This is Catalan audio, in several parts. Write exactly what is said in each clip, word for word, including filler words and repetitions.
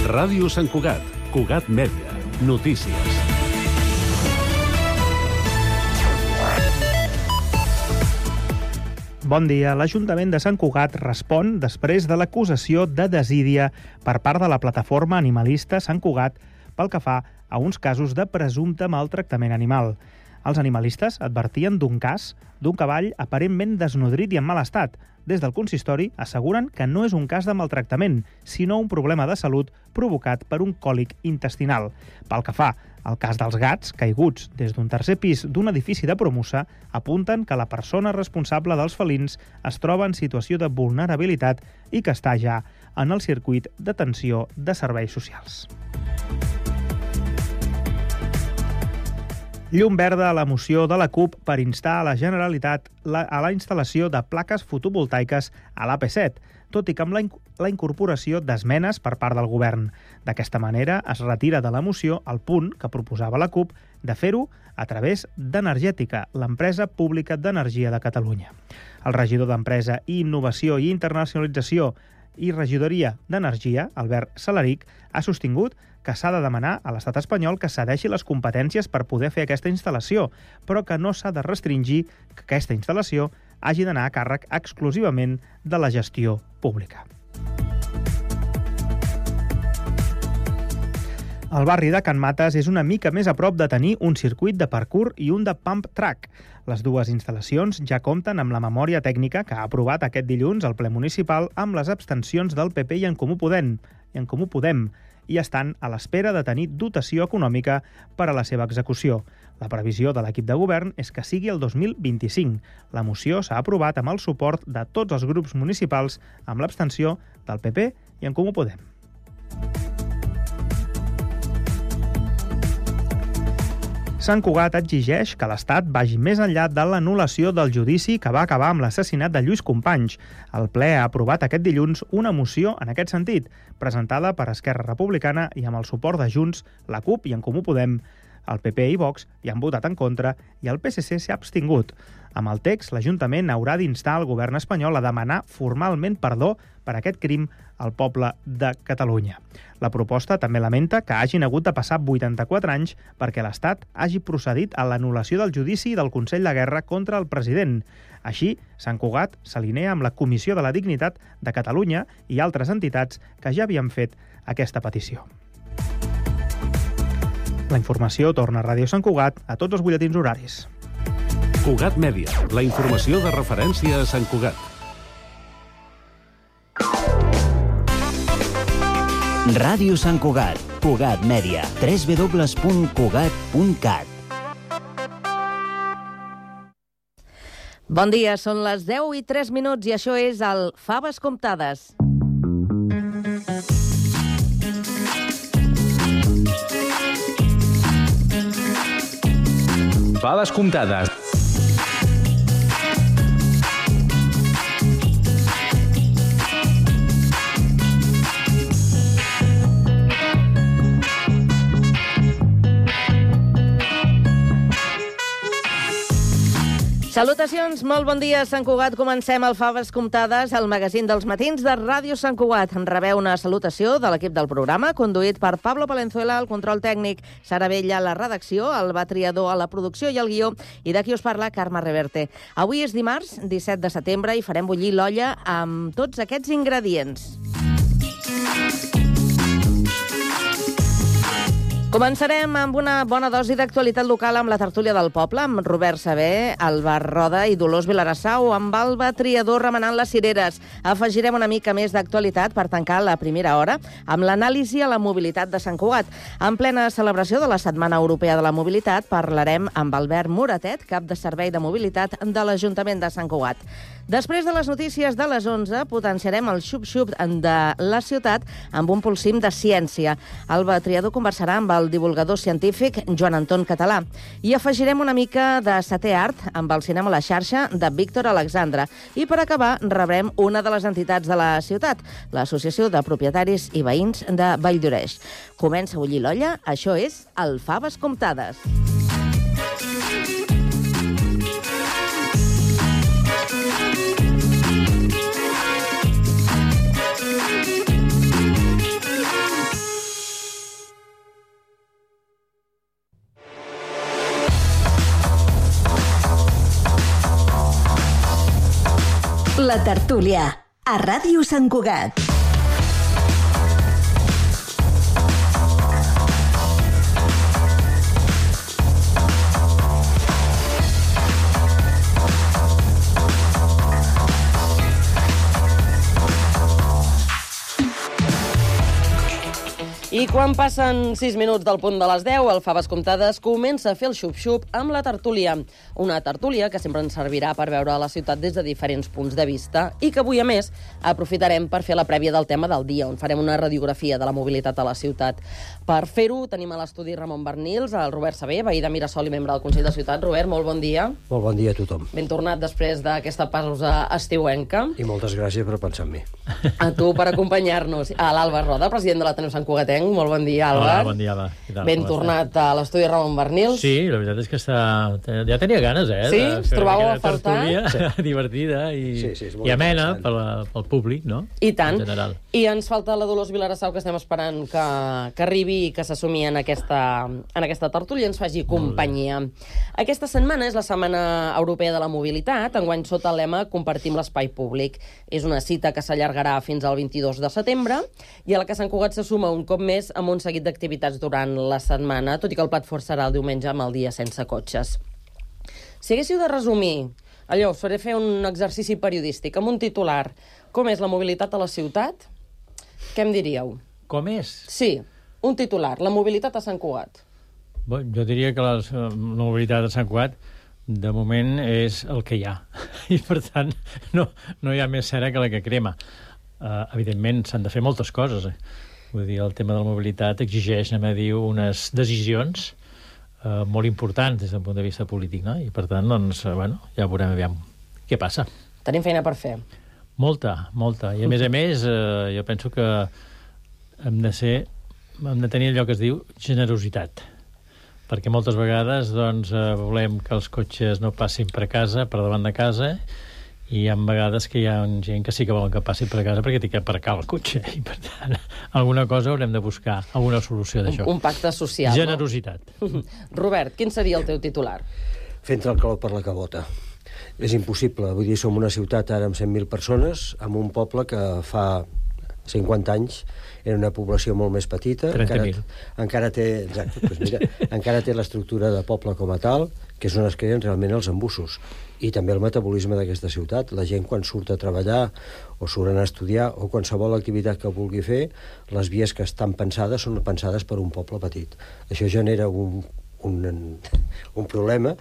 Ràdio Sant Cugat, Cugat Mèdia, notícies. Bon dia. L'Ajuntament de Sant Cugat respon després de l'acusació de desídia per part de la plataforma animalista Sant Cugat pel que fa a uns casos de presumpte maltractament animal. Els animalistes advertien d'un cas d'un cavall aparentment desnodrit i en mal estat. Des del consistori asseguren que no és un cas de maltractament, sinó un problema de salut provocat per un còlic intestinal. Pel que fa al cas dels gats caiguts des d'un tercer pis d'un edifici de Promusa, apunten que la persona responsable dels felins es troba en situació de vulnerabilitat i que està ja en el circuit d'atenció de serveis socials. Llum verda a la moció de la CUP per instar a la Generalitat a la instal·lació de plaques fotovoltaiques a l'A P set, tot i que amb la, la incorporació d'esmenes per part del govern. D'aquesta manera es retira de la moció el punt que proposava la CUP de fer-ho a través d'Energètica, l'empresa pública d'energia de Catalunya. El regidor d'Empresa i Innovació i Internacionalització i Regidoria d'Energia, Albert Salaric, ha sostingut que s'ha de demanar a l'estat espanyol que cedeixi les competències per poder fer aquesta instal·lació, però que no s'ha de restringir que aquesta instal·lació hagi d'anar a càrrec exclusivament de la gestió pública. El barri de Can Mates és una mica més a prop de tenir un circuit de parkour i un de pump track. Les dues instal·lacions ja compten amb la memòria tècnica que ha aprovat aquest dilluns el ple municipal amb les abstencions del P P i en Comú Podem, i en Comú Podem i estan a l'espera de tenir dotació econòmica per a la seva execució. La previsió de l'equip de govern és que sigui el dos mil vint-i-cinc. La moció s'ha aprovat amb el suport de tots els grups municipals, amb l'abstenció del P P i en Comú Podem. Sant Cugat exigeix que l'Estat vagi més enllà de l'anul·lació del judici que va acabar amb l'assassinat de Lluís Companys. El ple ha aprovat aquest dilluns una moció en aquest sentit, presentada per Esquerra Republicana i amb el suport de Junts, la CUP i en Comú Podem. El P P i Vox hi han votat en contra i el P S C s'ha abstingut. Amb el text, l'Ajuntament haurà d'instar el govern espanyol a demanar formalment perdó per aquest crim al poble de Catalunya. La proposta també lamenta que hagin hagut de passar vuitanta-quatre anys perquè l'Estat hagi procedit a l'anul·lació del judici del Consell de Guerra contra el president. Així, Sant Cugat s'alinea amb la Comissió de la Dignitat de Catalunya i altres entitats que ja havien fet aquesta petició. La informació torna a Ràdio Sant Cugat a tots els butlletins horaris. Cugat Mèdia, la informació de referència a Sant Cugat. Ràdio Sant Cugat, Cugat Mèdia, w w w punt cugat punt cat. Bon dia, són les deu i tres minuts i això és el Faves Comptades. Faves Comptades. Salutacions, molt bon dia, Sant Cugat. Comencem el Faves Comptades, el magazín dels matins de Ràdio Sant Cugat. Rebeu una salutació de l'equip del programa, conduït per Pablo Palenzuela, el control tècnic, Sara Vella, la redacció, Alba Triador a la producció i el guió, i d'aquí us parla Carme Reverte. Avui és dimarts, disset de setembre, i farem bullir l'olla amb tots aquests ingredients. Començarem amb una bona dosi d'actualitat local amb la tertúlia del poble, amb Robert Saber, Alba Roda i Dolors Vilarassau, amb Alba Triador remenant les cireres. Afegirem una mica més d'actualitat per tancar la primera hora amb l'anàlisi a la mobilitat de Sant Cugat. En plena celebració de la Setmana Europea de la Mobilitat parlarem amb Albert Moratet, cap de Servei de Mobilitat de l'Ajuntament de Sant Cugat. Després de les notícies de les onze, potenciarem el xup-xup de la ciutat amb un polsim de ciència. Alba Triador conversarà amb el divulgador científic Joan Anton Català. I afegirem una mica de setè art amb el cinema a la xarxa de Víctor Alexandre. I per acabar, rebrem una de les entitats de la ciutat, l'Associació de Propietaris i Veïns de Valldoreix. Comença a bullir l'olla, això és el Faves Comptades. La tertúlia, a Ràdio Sant Cugat. I quan passen sis minuts del punt de les deu, el Faves Comptades comença a fer el xup-xup amb la tertúlia. Una tertúlia que sempre ens servirà per veure la ciutat des de diferents punts de vista i que avui, a més, aprofitarem per fer la prèvia del tema del dia, on farem una radiografia de la mobilitat a la ciutat. Per fer-ho, tenim a l'estudi Ramon Bernils, el Robert Sabé, veí de Mirasol i membre del Consell de Ciutat. Robert, molt bon dia. Molt bon dia a tothom. Ben tornat després d'aquesta pausa estiuenca. I moltes gràcies per pensar en mi. A tu per acompanyar-nos. A l'Alba Roda, president de l'Ateneu Sant Cugatenc. Molt bon dia, Àlvar. Hola, bon dia, Alba. Ben tornat a l'estudi Ramon Bernils. Sí, la veritat és que està... ja tenia ganes, eh? Sí? Us trobàveu a faltar? Sí. Divertida i, sí, sí, i amena pel, pel públic, no? I tant. En general. I ens falta la Dolors Vilarassau, que estem esperant que, que arribi i que s'assumi en, aquesta, en aquesta tertúlia i ens faci companyia. Aquesta setmana és la Setmana Europea de la Mobilitat, enguany sota el lema Compartim l'espai públic. És una cita que s'allargarà fins al vint-i-dos de setembre i a la que Sant Cugat se suma un cop més amb un seguit d'activitats durant la setmana, tot i que el plat fort serà el diumenge amb el dia sense cotxes. Si haguéssiu de resumir, allò, us faré fer un exercici periodístic amb un titular, com és la mobilitat a la ciutat, què em diríeu? Com és? Sí, un titular, la mobilitat a Sant Cugat. Bé, jo diria que la, la mobilitat a Sant Cugat de moment és el que hi ha. I, per tant, no, no hi ha més cera que la que crema. Uh, evidentment, s'han de fer moltes coses, eh? Vull dir, el tema de la mobilitat exigeix, anem a dir, unes decisions eh, molt importants des del punt de vista polític, no? I per tant, doncs, eh, bueno, ja veurem aviam què passa. Tenim feina per fer. Molta, molta. I a més a més, eh, jo penso que hem de ser, hem de tenir allò que es diu generositat. Perquè moltes vegades, doncs, eh, volem que els cotxes no passin per casa, per davant de casa, i hi ha vegades que hi ha gent que sí que volen que passi per casa perquè té que aparcar el cotxe i per tant alguna cosa haurem de buscar, alguna solució d'això. Un, un pacte social. Generositat. No? Robert, quin seria el teu titular? Fent el clau per la cabota. És impossible, vull dir, som una ciutat ara amb cent mil persones, amb un poble que fa cinquanta anys era una població molt més petita. trenta mil. Encara, encara té, exacte, doncs mira, encara té l'estructura de poble com a tal, que és on es creen realment els embussos. I també el metabolisme d'aquesta ciutat. La gent, quan surt a treballar o surten a estudiar o qualsevol activitat que vulgui fer, les vies que estan pensades són pensades per un poble petit. Això genera un, un, un problema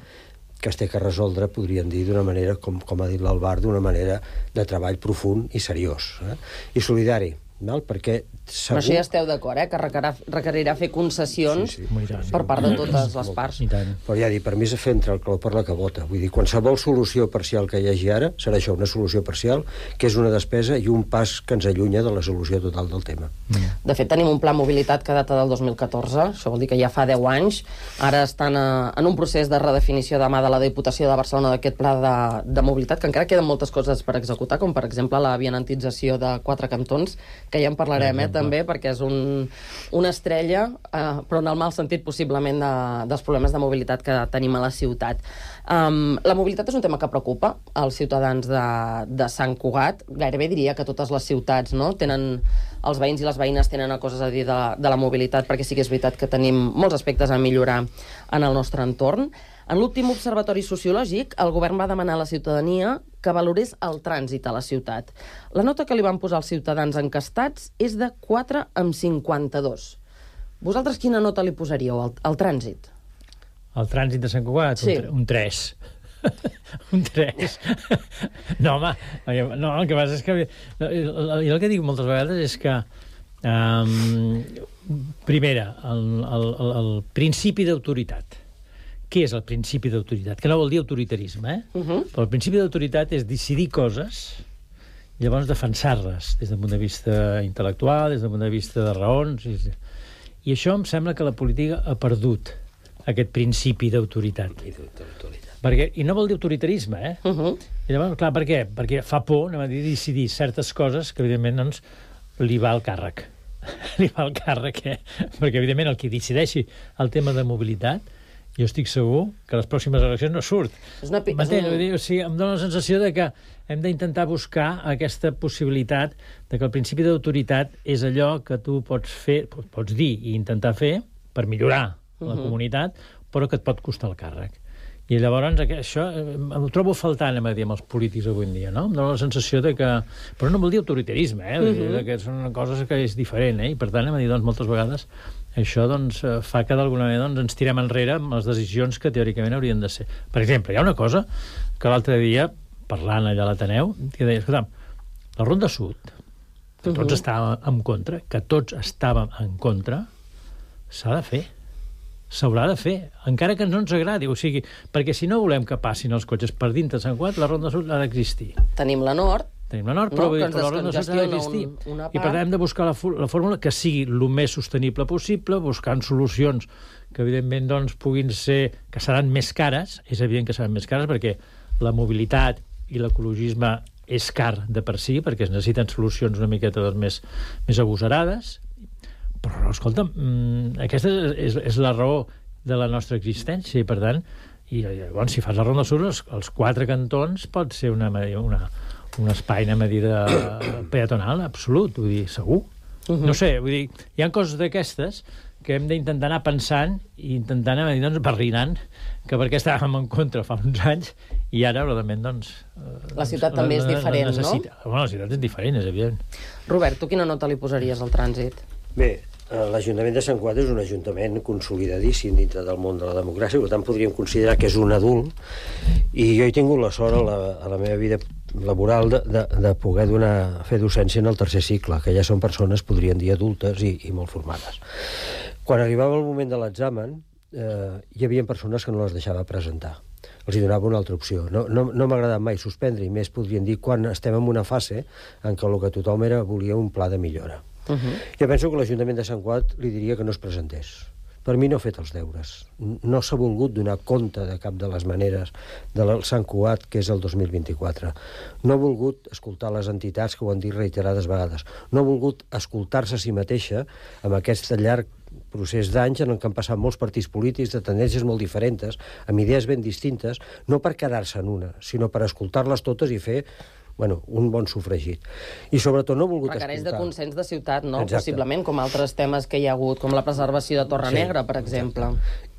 que es té que resoldre, podríem dir, d'una manera, com, com ha dit l'Albar, d'una manera de treball profund i seriós. Eh? I solidari, val? Perquè segur... Però això ja esteu d'acord, eh? Que requerirà, requerirà fer concessions sí, sí. per part de totes les parts. Però ja dic, per mi és fer entrar el clau per la cabota. Vull dir, qualsevol solució parcial que hi hagi ara serà això, una solució parcial, que és una despesa i un pas que ens allunya de la solució total del tema. Mm. De fet, tenim un pla mobilitat que data del dos mil catorze, això vol dir que ja fa deu anys. Ara estan a, en un procés de redefinició de mà de la Diputació de Barcelona d'aquest pla de, de mobilitat, que encara queden moltes coses per executar, com per exemple la vianantització de quatre cantons, que ja en parlarem, eh, també, perquè és un, una estrella, eh, però en el mal sentit possiblement de, dels problemes de mobilitat que tenim a la ciutat. Um, la mobilitat és un tema que preocupa als ciutadans de, de Sant Cugat. Gairebé diria que totes les ciutats, no?, tenen, els veïns i les veïnes tenen coses a dir de, de la mobilitat, perquè sí que és veritat que tenim molts aspectes a millorar en el nostre entorn. En l'últim observatori sociològic, el govern va demanar a la ciutadania que valorés el trànsit a la ciutat. La nota que li van posar els ciutadans encastats és de quatre amb cinquanta-dos. Vosaltres quina nota li posaríeu al, al trànsit? El trànsit de Sant Cugat? Sí. Un tres. Un tres. No, home, no, el que passa és que... Jo el que dic moltes vegades és que... Um, primera, el, el, el, el principi d'autoritat. Què és el principi d'autoritat? Que no vol dir autoritarisme, eh? Uh -huh. Però el principi d'autoritat és decidir coses i llavors defensar-les des del punt de vista intel·lectual, des del punt de vista de raons. I, i això em sembla que la política ha perdut aquest principi d'autoritat. Perquè, i no vol dir autoritarisme, eh? Uh -huh. I llavors, clar, per què? Perquè fa por, anem a dir, decidir certes coses que, evidentment, doncs, li va al càrrec. li va al càrrec, eh? Perquè, evidentment, el que decideixi el tema de mobilitat jo estic segur que les pròximes eleccions no surt. És una... M'entens? Vull dir, o sigui, em dóna la sensació de que hem d'intentar buscar aquesta possibilitat de que el principi d'autoritat és allò que tu pots fer, pots dir i intentar fer per millorar la uh-huh. comunitat, però que et pot costar el càrrec. I llavors això ho trobo faltant, a dir, amb els polítics avui en dia, no? Em dóna la sensació de que... Però no vol dir autoritarisme, eh? Vull dir, que són coses que és diferent, eh? I per tant, a dir, doncs, moltes vegades això doncs, fa que d'alguna manera doncs, ens tirem enrere amb les decisions que teòricament haurien de ser. Per exemple, hi ha una cosa que l'altre dia, parlant allà a l'Ateneu, que deia, escolta, la Ronda Sud, que tots uh-huh. estàvem en contra, que tots estàvem en contra, s'ha de fer. S'haurà de fer, encara que no ens agradi. O sigui, perquè si no volem que passin els cotxes per dintre de Sant Cugat, la Ronda Sud ha d'existir. Tenim la Nord, Tenim la Nord, però, no, però la Ronda Sud ha d'existir. Un, I per tant hem de buscar la, la fórmula que sigui el més sostenible possible, buscant solucions que evidentment doncs, puguin ser, que seran més cares, és evident que seran més cares perquè la mobilitat i l'ecologisme és car de per si, perquè es necessiten solucions una miqueta doncs, més, més agosarades. Però, escolta, aquesta és, és la raó de la nostra existència i, per tant, i, llavors, si fas la Ronda Sud, els, els quatre cantons pot ser una, una, un espai a medida peatonal absolut, vull dir, segur. Uh-huh. No sé, vull dir, hi ha coses d'aquestes que hem d'intentar anar pensant i intentant anar doncs, barrinant, que perquè estàvem en contra fa uns anys i ara, realment, doncs... La ciutat doncs, també és diferent, necessita. No? Bueno, la ciutat és diferent, és evident. Robert, tu quina nota li posaries al trànsit? Bé, l'Ajuntament de Sant Cugat és un ajuntament consolidadíssim dintre del món de la democràcia, per tant podríem considerar que és un adult, i jo he tingut la sort a la, a la meva vida laboral de, de, de poder donar, fer docència en el tercer cicle, que ja són persones, podrien dir, adultes i, i molt formades. Quan arribava el moment de l'examen, eh, hi havia persones que no les deixava presentar. Els hi donava una altra opció. No, no, no m'ha agradat mai suspendre, i més podrien dir quan estem en una fase en què el que tothom era volia un pla de millora. Uh-huh. Jo penso que l'Ajuntament de Sant Cugat li diria que no es presentés. Per mi no ha fet els deures. No s'ha volgut donar compte de cap de les maneres del Sant Cugat, que és el dos mil vint-i-quatre. No ha volgut escoltar les entitats que ho han dit reiterades vegades. No ha volgut escoltar-se a si mateixa amb aquest llarg procés d'anys en què han passat molts partits polítics de tendències molt diferents, amb idees ben distintes, no per quedar-se en una, sinó per escoltar-les totes i fer bueno, un bon sofregit. I sobretot no ha volgut requereix escoltar. Requereix de consens de ciutat, no? Exacte. Possiblement, com altres temes que hi ha hagut, com la preservació de Torre sí, Negra, per exemple.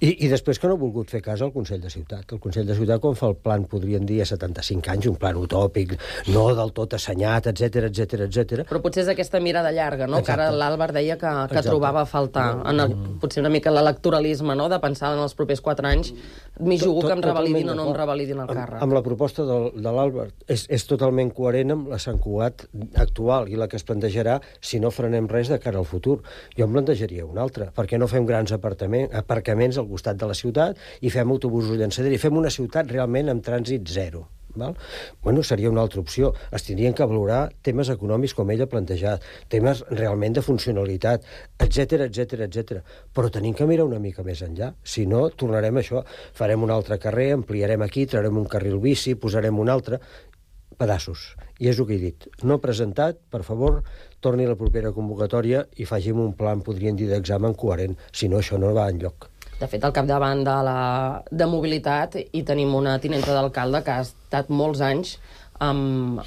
I, I després que no ha volgut fer cas al Consell de Ciutat. El Consell de Ciutat, quan fa el plan, podrien dir a setanta-cinc anys, un plan utòpic, no del tot assenyat, etc etc etc. Però potser és aquesta mirada llarga, no? Exacte. Que ara l'Àlvar deia que, que trobava a faltar. No, en el, potser una mica l'electoralisme, no? De pensar en els propers quatre anys, m'hi jugo que em revalidin o no em revalidin el càrrec. Amb, amb la proposta de, de l'Àlvar és, és totalment coherent amb la Sant Cugat actual i la que es plantejarà si no frenem res de cara al futur. Jo em plantejaria una altra. Per què no fem grans aparcaments al costat de la ciutat i fem autobusos llançadera i fem una ciutat realment amb trànsit zero? Val? Bueno, seria una altra opció. Es tindrien que valorar temes econòmics com ell ha plantejat, temes realment de funcionalitat, etc etc etc. Però tenim que mirar una mica més enllà. Si no, tornarem a això. Farem un altre carrer, ampliarem aquí, traurem un carril bici, posarem un altre... pedaços. I és el que he dit. No presentat, per favor, torni a la propera convocatòria i faci'm un plan, podrien dir, d'examen coherent. Si no, això no va enlloc. De fet, al capdavant de, la, de mobilitat hi tenim una tinenta d'alcalde que ha estat molts anys amb,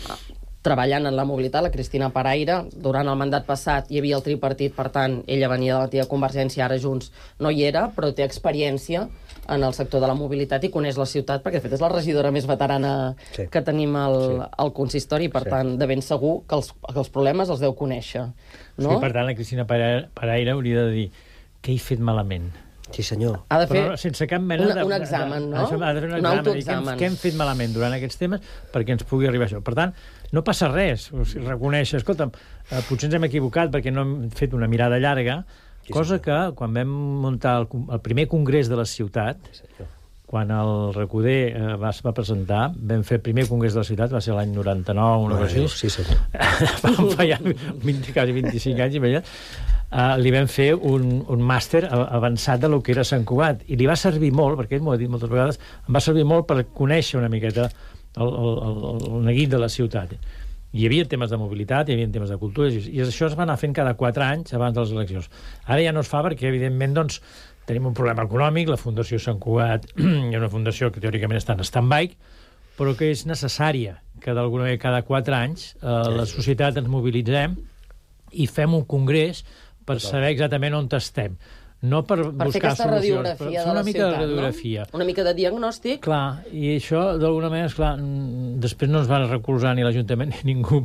treballant en la mobilitat, la Cristina Paraire. Durant el mandat passat hi havia el tripartit, per tant, ella venia de l'antiga Convergència, ara Junts no hi era, però té experiència en el sector de la mobilitat i coneix la ciutat, perquè de fet és la regidora més veterana sí. que tenim al, sí. al consistori, per sí. tant, de ben segur que els, que els problemes els deu conèixer. No? Sí, per tant, la Cristina Paraire hauria de dir què he fet malament. Sí, senyor. Ha de fer però sense cap mena una, de... un examen, no? Ha de fer un, un autoexamen. Què hem fet malament durant aquests temes perquè ens pugui arribar això? Per tant, no passa res. O sigui, reconèixer, escolta'm, eh, potser ens hem equivocat perquè no hem fet una mirada llarga, sí, cosa senyor. Que quan vam muntar el, el primer congrés de la ciutat, sí, quan el Recoder eh, va, va presentar, vam fer el primer congrés de la ciutat, va ser l'any noranta-nou, una cosa així. Sí, senyor. Vam fallar vint, quasi vint-i-cinc anys, i Uh, li vam fer un, un màster avançat de lo que era Sant Cugat, i li va servir molt, perquè ell m'ho ha dit moltes vegades, em va servir molt per conèixer una miqueta el, el, el, el neguit de la ciutat. Hi havia temes de mobilitat, hi havia temes de cultura, i, i això es va anar fent cada quatre anys abans de les eleccions. Ara ja no es fa perquè, evidentment, doncs, tenim un problema econòmic, la Fundació Sant Cugat hi ha una fundació que teòricament està en stand-by, però que és necessària que d'alguna manera cada quatre anys eh, la societat ens mobilitzem i fem un congrés per saber exactament on estem. No per, per buscar fer solucions, radiografia però de una la mica ciutat, de radiografia. No? Una mica de diagnòstic. Clar, i això, d'alguna manera, esclar, després no ens van recolzar ni l'Ajuntament ni ningú.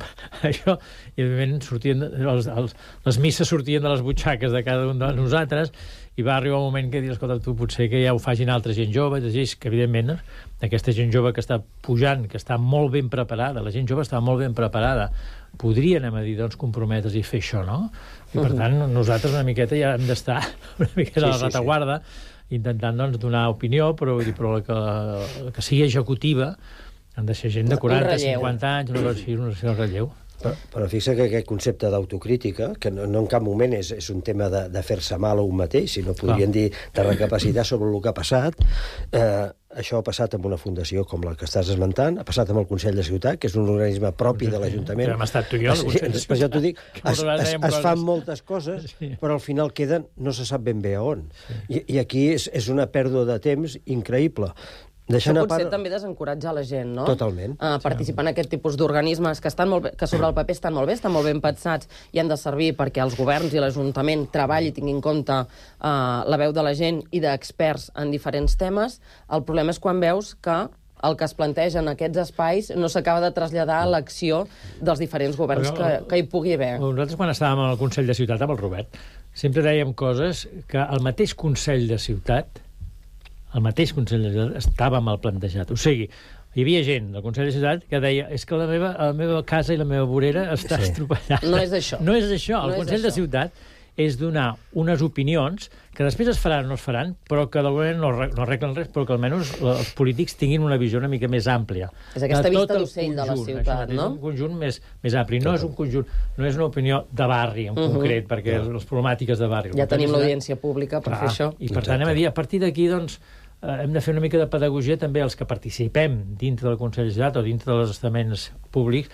Això, i evidentment, sortien, els, els, les misses sortien de les butxaques de cada un de nosaltres, i va arribar un moment que dir, escolta, tu potser que ja ho facin altra gent jove, és que, evidentment, aquesta gent jove que està pujant, que està molt ben preparada, la gent jove està molt ben preparada, podria, anem a dir, doncs, comprometre's i fer això, no? I, per tant, nosaltres una miqueta ja hem d'estar una miqueta a la retaguarda, intentant, doncs, donar opinió, però, vull dir, però que, que sigui executiva, han de ser gent de quaranta, cinquanta anys, no cal ser un relleu. Però, però fixa que aquest concepte d'autocrítica, que no, no en cap moment és, és un tema de, de fer-se mal a un mateix, sinó podríem dir de recapacitar sobre el que ha passat, eh, això ha passat amb una fundació com la que estàs esmentant, ha passat amb el Consell de Ciutat, que és un organisme propi de l'Ajuntament. Hem estat tu i jo, el Consell de Ciutat. Per això t'ho dic, es, es, es fan moltes coses, però al final queden, no se sap ben bé a on. I, i aquí és, és una pèrdua de temps increïble. Això potser part... també desencoratja la gent, no? Totalment. Uh, participar en aquest tipus d'organismes que, estan molt bé, que sobre el paper estan molt bé, estan molt ben pensats i han de servir perquè els governs i l'Ajuntament treballi i tinguin en compte uh, la veu de la gent i d'experts en diferents temes. El problema és quan veus que el que es planteja en aquests espais no s'acaba de traslladar a l'acció dels diferents governs que, que hi pugui haver. Nosaltres, quan estàvem al Consell de Ciutat amb el Robert, sempre dèiem coses que el mateix Consell de Ciutat el mateix Consell de Ciutat estava mal plantejat. O sigui, hi havia gent del Consell de Ciutat que deia és que la meva, la meva casa i la meva vorera està sí. estropellada. No és això. No és això. El no Consell això. de Ciutat és donar unes opinions que després es faran o no es faran, però que d'alguna manera no, no arreglen res, però que almenys els polítics tinguin una visió una mica més àmplia. És aquesta vista d'ocell de la ciutat, això, no? És un conjunt més, més ampli. No és un conjunt, no és una opinió de barri en uh -huh. concret, perquè uh -huh. les problemàtiques de barri. Ja tenim l'audiència pública per clar, fer això. I per tant, anem a dir, a partir d'aquí, doncs, eh, hem de fer una mica de pedagogia també els que participem dintre del Consell de Ciutat o dintre dels estaments públics,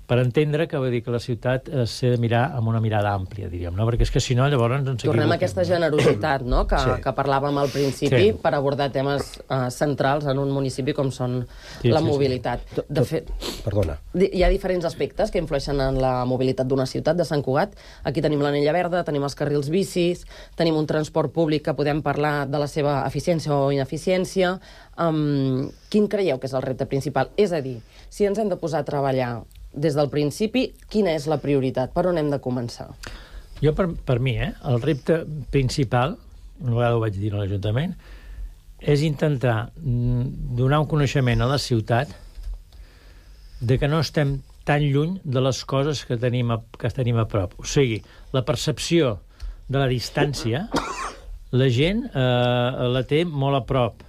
per entendre que, vull dir, que la ciutat s'ha de mirar amb una mirada àmplia, diríem, no? Perquè és que si no, llavors ens equivoquem. Tornem a aquesta generositat, no?, que, sí. que parlàvem al principi, sí. per abordar temes uh, centrals en un municipi com són sí, la sí, mobilitat. Sí. De fet, Perdona. Hi ha diferents aspectes que influeixen en la mobilitat d'una ciutat, de Sant Cugat. Aquí tenim l'anella verda, tenim els carrils bicis, tenim un transport públic que podem parlar de la seva eficiència o ineficiència. Um, quin creieu que és el repte principal? És a dir, si ens hem de posar a treballar des del principi, quina és la prioritat? Per on hem de començar? Jo, per, per mi, eh, el repte principal, una vegada ho vaig dir a l'Ajuntament, és intentar donar un coneixement a la ciutat de que no estem tan lluny de les coses que tenim a, que tenim a prop. O sigui, la percepció de la distància, la gent eh, la té molt a prop.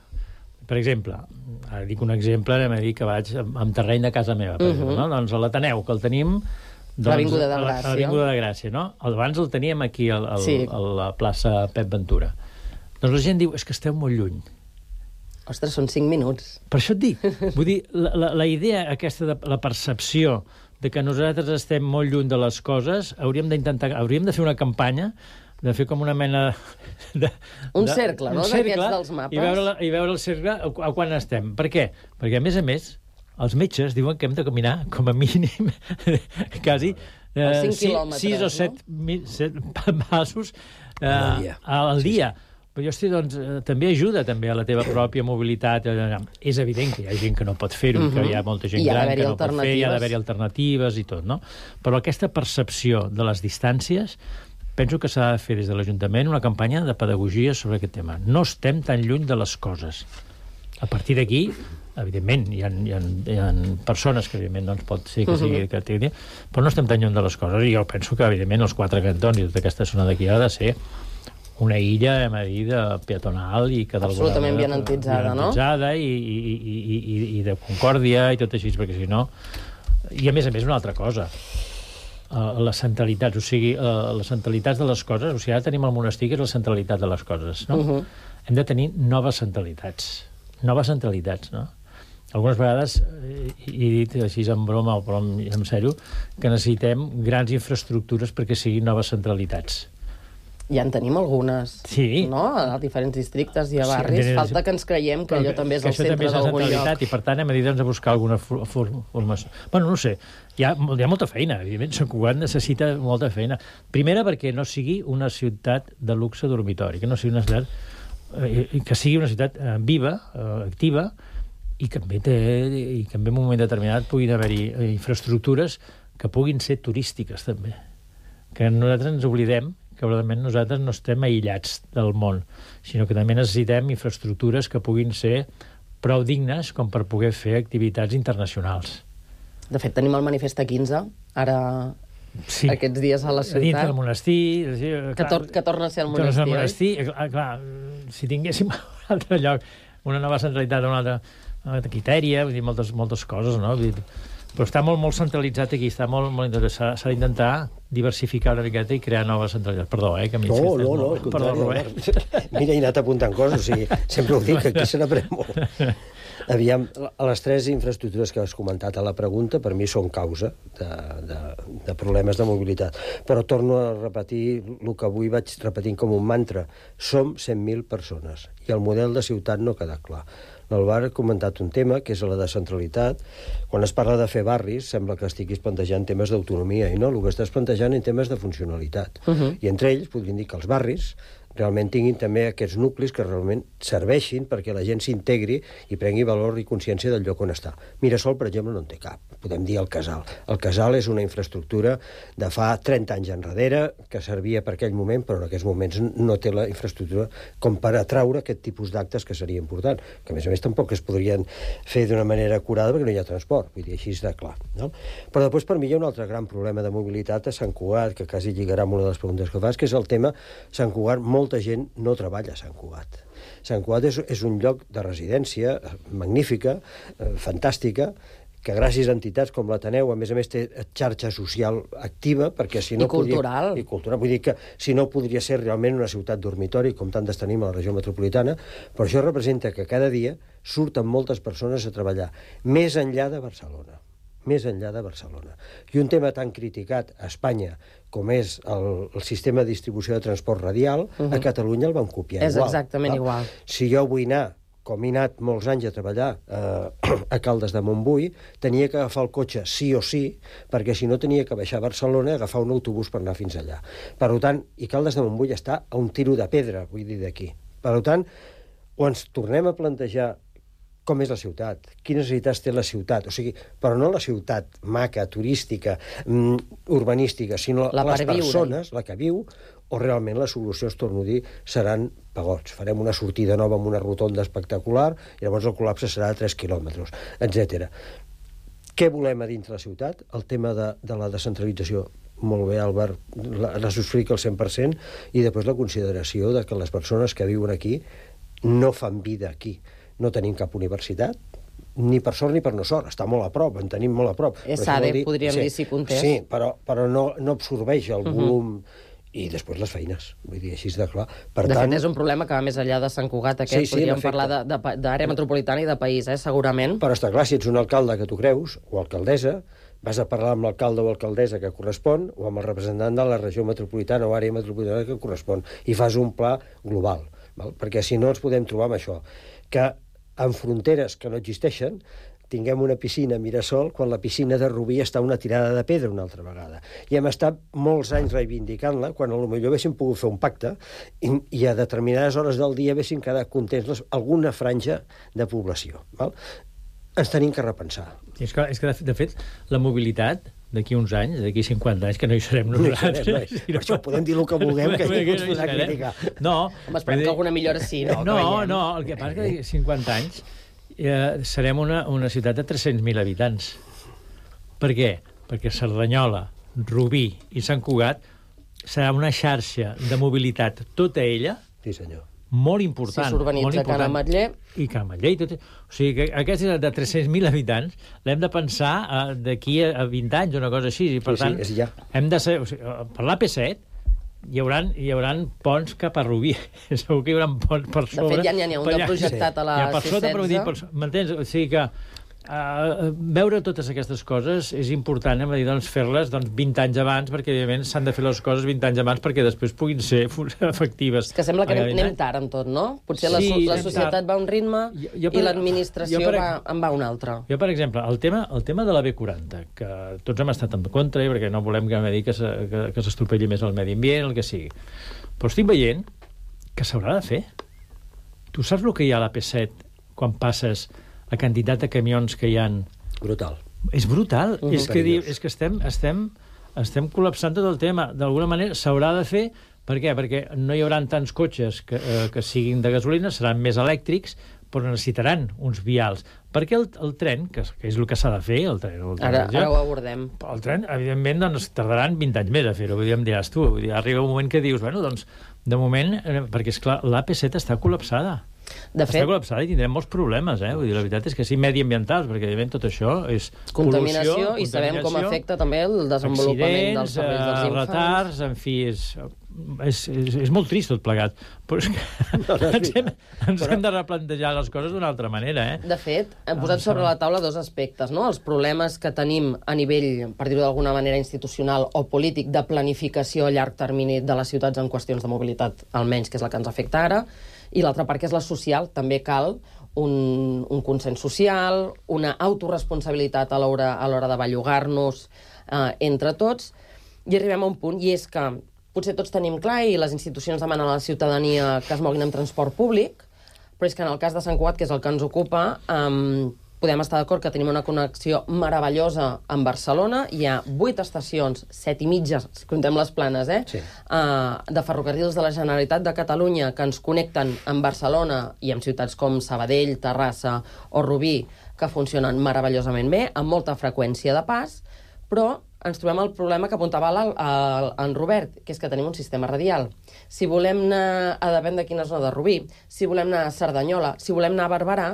Per exemple, ara dic un exemple, anem a dir que vaig amb terreny de casa meva, per uh -huh. exemple, no? Doncs a l'Ateneu, que el tenim... Doncs, l'Avinguda de Gràcia. A l'Avinguda de Gràcia, no? Abans el teníem aquí, al, al, sí. a la plaça Pep Ventura. Doncs la gent diu, és que esteu molt lluny. Ostres, són cinc minuts. Per això et dic. Vull dir, la, la, la idea aquesta de la percepció de que nosaltres estem molt lluny de les coses, hauríem d'intentar, hauríem de fer una campanya de fer com una mena de... Un de, cercle, no?, d'aquests dels mapes. I veure, la, I veure el cercle a, a quan estem. Per què? Perquè, a més a més, els metges diuen que hem de caminar com a mínim quasi eh, sis o set, no? set passos eh, al dia. Al dia. Sí, sí. Però jo estic, doncs, eh, també ajuda també a la teva pròpia mobilitat. És evident que hi ha gent que no pot fer-ho, uh -huh. que hi ha molta gent gran que no pot fer, hi ha d'haver-hi alternatives i tot, no? Però aquesta percepció de les distàncies penso que s'ha de fer des de l'Ajuntament una campanya de pedagogia sobre aquest tema. No estem tan lluny de les coses. A partir d'aquí, evidentment, hi ha, hi ha, hi ha persones que, evidentment, doncs, pot ser que sigui... Que tingui, però no estem tan lluny de les coses. I jo penso que, evidentment, els quatre cantons i tota aquesta zona d'aquí ha de ser una illa, hem de dir, de peatonal i que absolutament vianantitzada, no? Vianantitzada i, i, i, i, i de concòrdia i tot així, perquè si no... I, a més a més, una altra cosa. Uh, les centralitats, o sigui, uh, les centralitats de les coses, o sigui, ara tenim el monestir, que és la centralitat de les coses, no? Uh -huh. Hem de tenir noves centralitats. Noves centralitats, no? algunes vegades, i he dit així en broma o però en sèrio, que necessitem grans infraestructures perquè siguin noves centralitats. Ja en tenim algunes, sí. no? A diferents districtes i a barris. Sí, falta que ens creiem que allò que, també és que el centre d'algun lloc. I per tant hem de dir, doncs, a buscar alguna formació. Bueno, no sé, hi ha, hi ha molta feina, evidentment, Sant Cugat necessita molta feina. Primera, perquè no sigui una ciutat de luxe dormitori, que no sigui una ciutat, eh, que sigui una ciutat eh, viva, eh, activa, i que també té, i que en un moment determinat puguin haver-hi infraestructures que puguin ser turístiques, també. Que nosaltres ens oblidem que probablement nosaltres no estem aïllats del món, sinó que també necessitem infraestructures que puguin ser prou dignes com per poder fer activitats internacionals. De fet, tenim el manifest A quinze, ara sí. Aquests dies a la ciutat. Dintre del monestir. Sí, que, clar, tor que torna a ser el monestir, el monestir oi? Clar, clar, si tinguéssim un altre lloc, una nova centralitat, una altra, una altra Quitèria, vull dir, moltes, moltes coses, no? Vull dir, però està molt, molt centralitzat aquí, està molt, molt interessat. S'ha d'intentar diversificar una miqueta i crear noves centralitats. Perdó, eh, que m'hi No, no, no, molt... Perdó, Robert. Mira, he anat apuntant coses, o sigui, sempre ho dic, que aquí se n'aprèn molt. Aviam, les tres infraestructures que has comentat a la pregunta, per mi són causa de, de, de problemes de mobilitat. Però torno a repetir el que avui vaig repetint com un mantra. Som cent mil persones i el model de ciutat no ha quedat clar. L'Alvar ha comentat un tema, que és la descentralitat. Quan es parla de fer barris, sembla que estiguis plantejant temes d'autonomia, i no, el que estàs plantejant en temes de funcionalitat. Uh -huh. I entre ells podríem dir que els barris realment tinguin també aquests nuclis que realment serveixin perquè la gent s'integri i prengui valor i consciència del lloc on està. Mirasol, per exemple, no en té cap. Podem dir el Casal. El Casal és una infraestructura de fa trenta anys enrere que servia per aquell moment, però en aquests moments no té la infraestructura com per atraure aquest tipus d'actes que seria important, que a més a més tampoc es podrien fer d'una manera acurada perquè no hi ha transport, vull dir, així és de clar. No? Però després per mi hi ha un altre gran problema de mobilitat a Sant Cugat, que quasi lligarà amb una de les preguntes que fas, que és el tema Sant Cugat. Molta gent no treballa a Sant Cugat. Sant Cugat és, és un lloc de residència magnífica, eh, fantàstica, que gràcies a entitats com l'Ateneu, a més a més, té xarxa social activa, perquè si no... I cultural. Podria, I cultural. Vull dir que si no podria ser realment una ciutat dormitori, com tantes tenim a la regió metropolitana, però això representa que cada dia surten moltes persones a treballar, més enllà de Barcelona. més enllà de Barcelona. I un tema tan criticat a Espanya com és el, el sistema de distribució de transport radial, uh -huh. a Catalunya el van copiar és igual. És exactament no? igual. Si jo vull anar, com he anat molts anys a treballar eh, a Caldes de Montbui, tenia que agafar el cotxe sí o sí, perquè si no tenia que baixar a Barcelona i agafar un autobús per anar fins allà. Per tant, i Caldes de Montbui està a un tiro de pedra, vull dir, d'aquí. Per tant, o ens tornem a plantejar com és la ciutat, quines necessitats té la ciutat, o sigui, però no la ciutat maca, turística, mm, urbanística, sinó la les persones, la que viu, o realment les solucions, torno a dir, seran pagots. Farem una sortida nova amb una rotonda espectacular i llavors el col·lapse serà de tres quilòmetres, etcètera. Què volem a dintre la ciutat? El tema de, de la descentralització. Molt bé, Albert, la, la subscric al cent per cent, i després la consideració de que les persones que viuen aquí no fan vida aquí. No tenim cap universitat, ni per sort ni per no sort, està molt a prop, en tenim molt a prop. ESADE, dir, podríem sí, dir, si comptés. Sí, però, però no, no absorbeix el volum... Uh -huh. I després les feines, vull dir, així de clar. Per de tant... fet, és un problema que va més enllà de Sant Cugat, aquest, sí, sí, podríem parlar d'àrea metropolitana i de país, eh, segurament. Però està clar, si ets un alcalde que tu creus, o alcaldessa, vas a parlar amb l'alcalde o alcaldessa que correspon, o amb el representant de la regió metropolitana o àrea metropolitana que correspon, i fas un pla global, val? Perquè si no ens podem trobar amb això, que en fronteres que no existeixen, tinguem una piscina a Mirasol quan la piscina de Rubí està una tirada de pedra una altra vegada. I hem estat molts anys reivindicant-la, quan potser haguéssim pogut fer un pacte i, i a determinades hores del dia haguéssim quedat contents les, alguna franja de població. Val? Ens tenim que repensar. És que, és que de fet, la mobilitat d'aquí uns anys, d'aquí cinquanta anys, que no hi serem nosaltres... No hi serem, no. Per això podem dir el que vulguem, que ningú ens podrà criticar. No. Home, esperem que alguna millora sí, no? No, no, el que passa és que cinquanta anys eh, serem una, una ciutat de tres-cents mil habitants. Per què? Perquè Cerdanyola, Rubí i Sant Cugat serà una xarxa de mobilitat, tota ella, sí, senyor, molt important. Si s'urbanitza Can Ametller... I Can Ametller i tot. O sigui, que aquesta de tres-cents mil habitants l'hem de pensar uh, d'aquí a vint anys, una cosa així. I, per sí, tant, sí, ja. hem de ser... O sigui, per l'A P set hi haurà, hi haurà ponts cap a Rubí. Segur que hi haurà ponts per sobre. De fet, ja n'hi ha un de projectat sí. a la ja, per sota, però dir, per, m'entens? O sigui que Uh, veure totes aquestes coses és important, hem de dir, doncs, fer-les doncs, vint anys abans, perquè, evidentment, s'han de fer les coses vint anys abans perquè després puguin ser efectives. És que sembla que anem, anem tard en tot, no? Potser sí, la, la societat tard. va a un ritme jo, jo per, i l'administració per, va, en va a un altre. Jo, per exemple, el tema, el tema de la B quaranta, que tots hem estat en contra, perquè no volem que, que, que, que s'estropelli més el medi ambient, el que sigui. Però estic veient que s'haurà de fer. Tu saps el que hi ha a la P set quan passes la quantitat de camions que hi ha... Brutal. És brutal. Uh -huh. és, que, és que estem, estem, estem col·lapsant tot el tema. D'alguna manera s'haurà de fer. Per què? Perquè no hi haurà tants cotxes que, eh, que siguin de gasolina, seran més elèctrics, però necessitaran uns vials. Perquè el, el tren, que, que és el que s'ha de fer... El tren, el tren ara, ara ho abordem. El tren, evidentment, doncs, tardaran vint anys més a fer-ho. Vull dir, em diràs tu. Vull dir, arriba un moment que dius, bueno, doncs, de moment, eh, perquè, esclar, l'A P set està col·lapsada. De fet, està col·lapsada i tindrem molts problemes, eh? Vull dir, la veritat és que sí, mediambientals, perquè evidentment tot això és contaminació, pol·lució, i sabem com afecta també el desenvolupament dels cervells dels infants. Retards, en fi, és, és, és, és molt trist tot plegat, però és que no, no, ens, hem, ens però... hem de replantejar les coses d'una altra manera, eh? De fet, hem posat sobre la taula dos aspectes, no? Els problemes que tenim a nivell, per dir-ho d'alguna manera, institucional o polític, de planificació a llarg termini de les ciutats en qüestions de mobilitat, almenys, que és la que ens afecta ara, i l'altra part, que és la social, també cal un, un consens social, una autoresponsabilitat a l'hora a l'hora de bellugar-nos eh, entre tots, i arribem a un punt, i és que potser tots tenim clar, i les institucions demanen a la ciutadania que es moguin en transport públic, però és que en el cas de Sant Cugat, que és el que ens ocupa, eh, podem estar d'acord que tenim una connexió meravellosa amb Barcelona. Hi ha vuit estacions, set i mitja, si contem les planes, eh? Sí. Uh, de ferrocarrils de la Generalitat de Catalunya que ens connecten amb Barcelona i amb ciutats com Sabadell, Terrassa o Rubí, que funcionen meravellosament bé, amb molta freqüència de pas, però ens trobem el problema que apuntava el, el, en Robert, que és que tenim un sistema radial. Si volem anar a depèn de quina zona de Rubí, si volem anar a Cerdanyola, si volem anar a Barberà,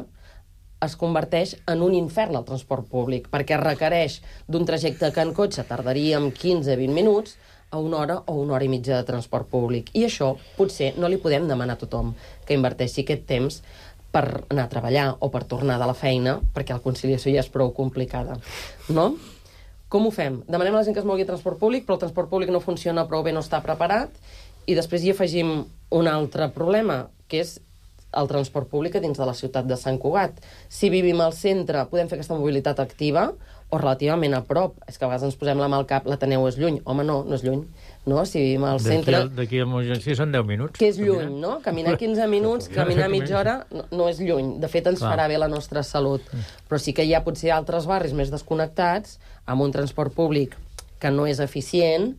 es converteix en un infern el transport públic, perquè requereix d'un trajecte que en cotxe tardaríem quinze a vint minuts a una hora o una hora i mitja de transport públic. I això potser no li podem demanar a tothom que inverteixi aquest temps per anar a treballar o per tornar de la feina, perquè la conciliació ja és prou complicada, no? Com ho fem? Demanem a la gent que es mogui transport públic, però el transport públic no funciona prou bé, no està preparat, i després hi afegim un altre problema, que és el transport públic a dins de la ciutat de Sant Cugat. Si vivim al centre, podem fer aquesta mobilitat activa o relativament a prop. És que a vegades ens posem la mà al cap, l'Ateneu és lluny. Home, no, no és lluny. No? Si vivim al centre... D'aquí a Montgenci són deu minuts. Que és lluny, no? Caminar quinze minuts, caminar mitja hora, no, no és lluny. De fet, ens farà bé la nostra salut. Però sí que hi ha potser altres barris més desconnectats, amb un transport públic que no és eficient,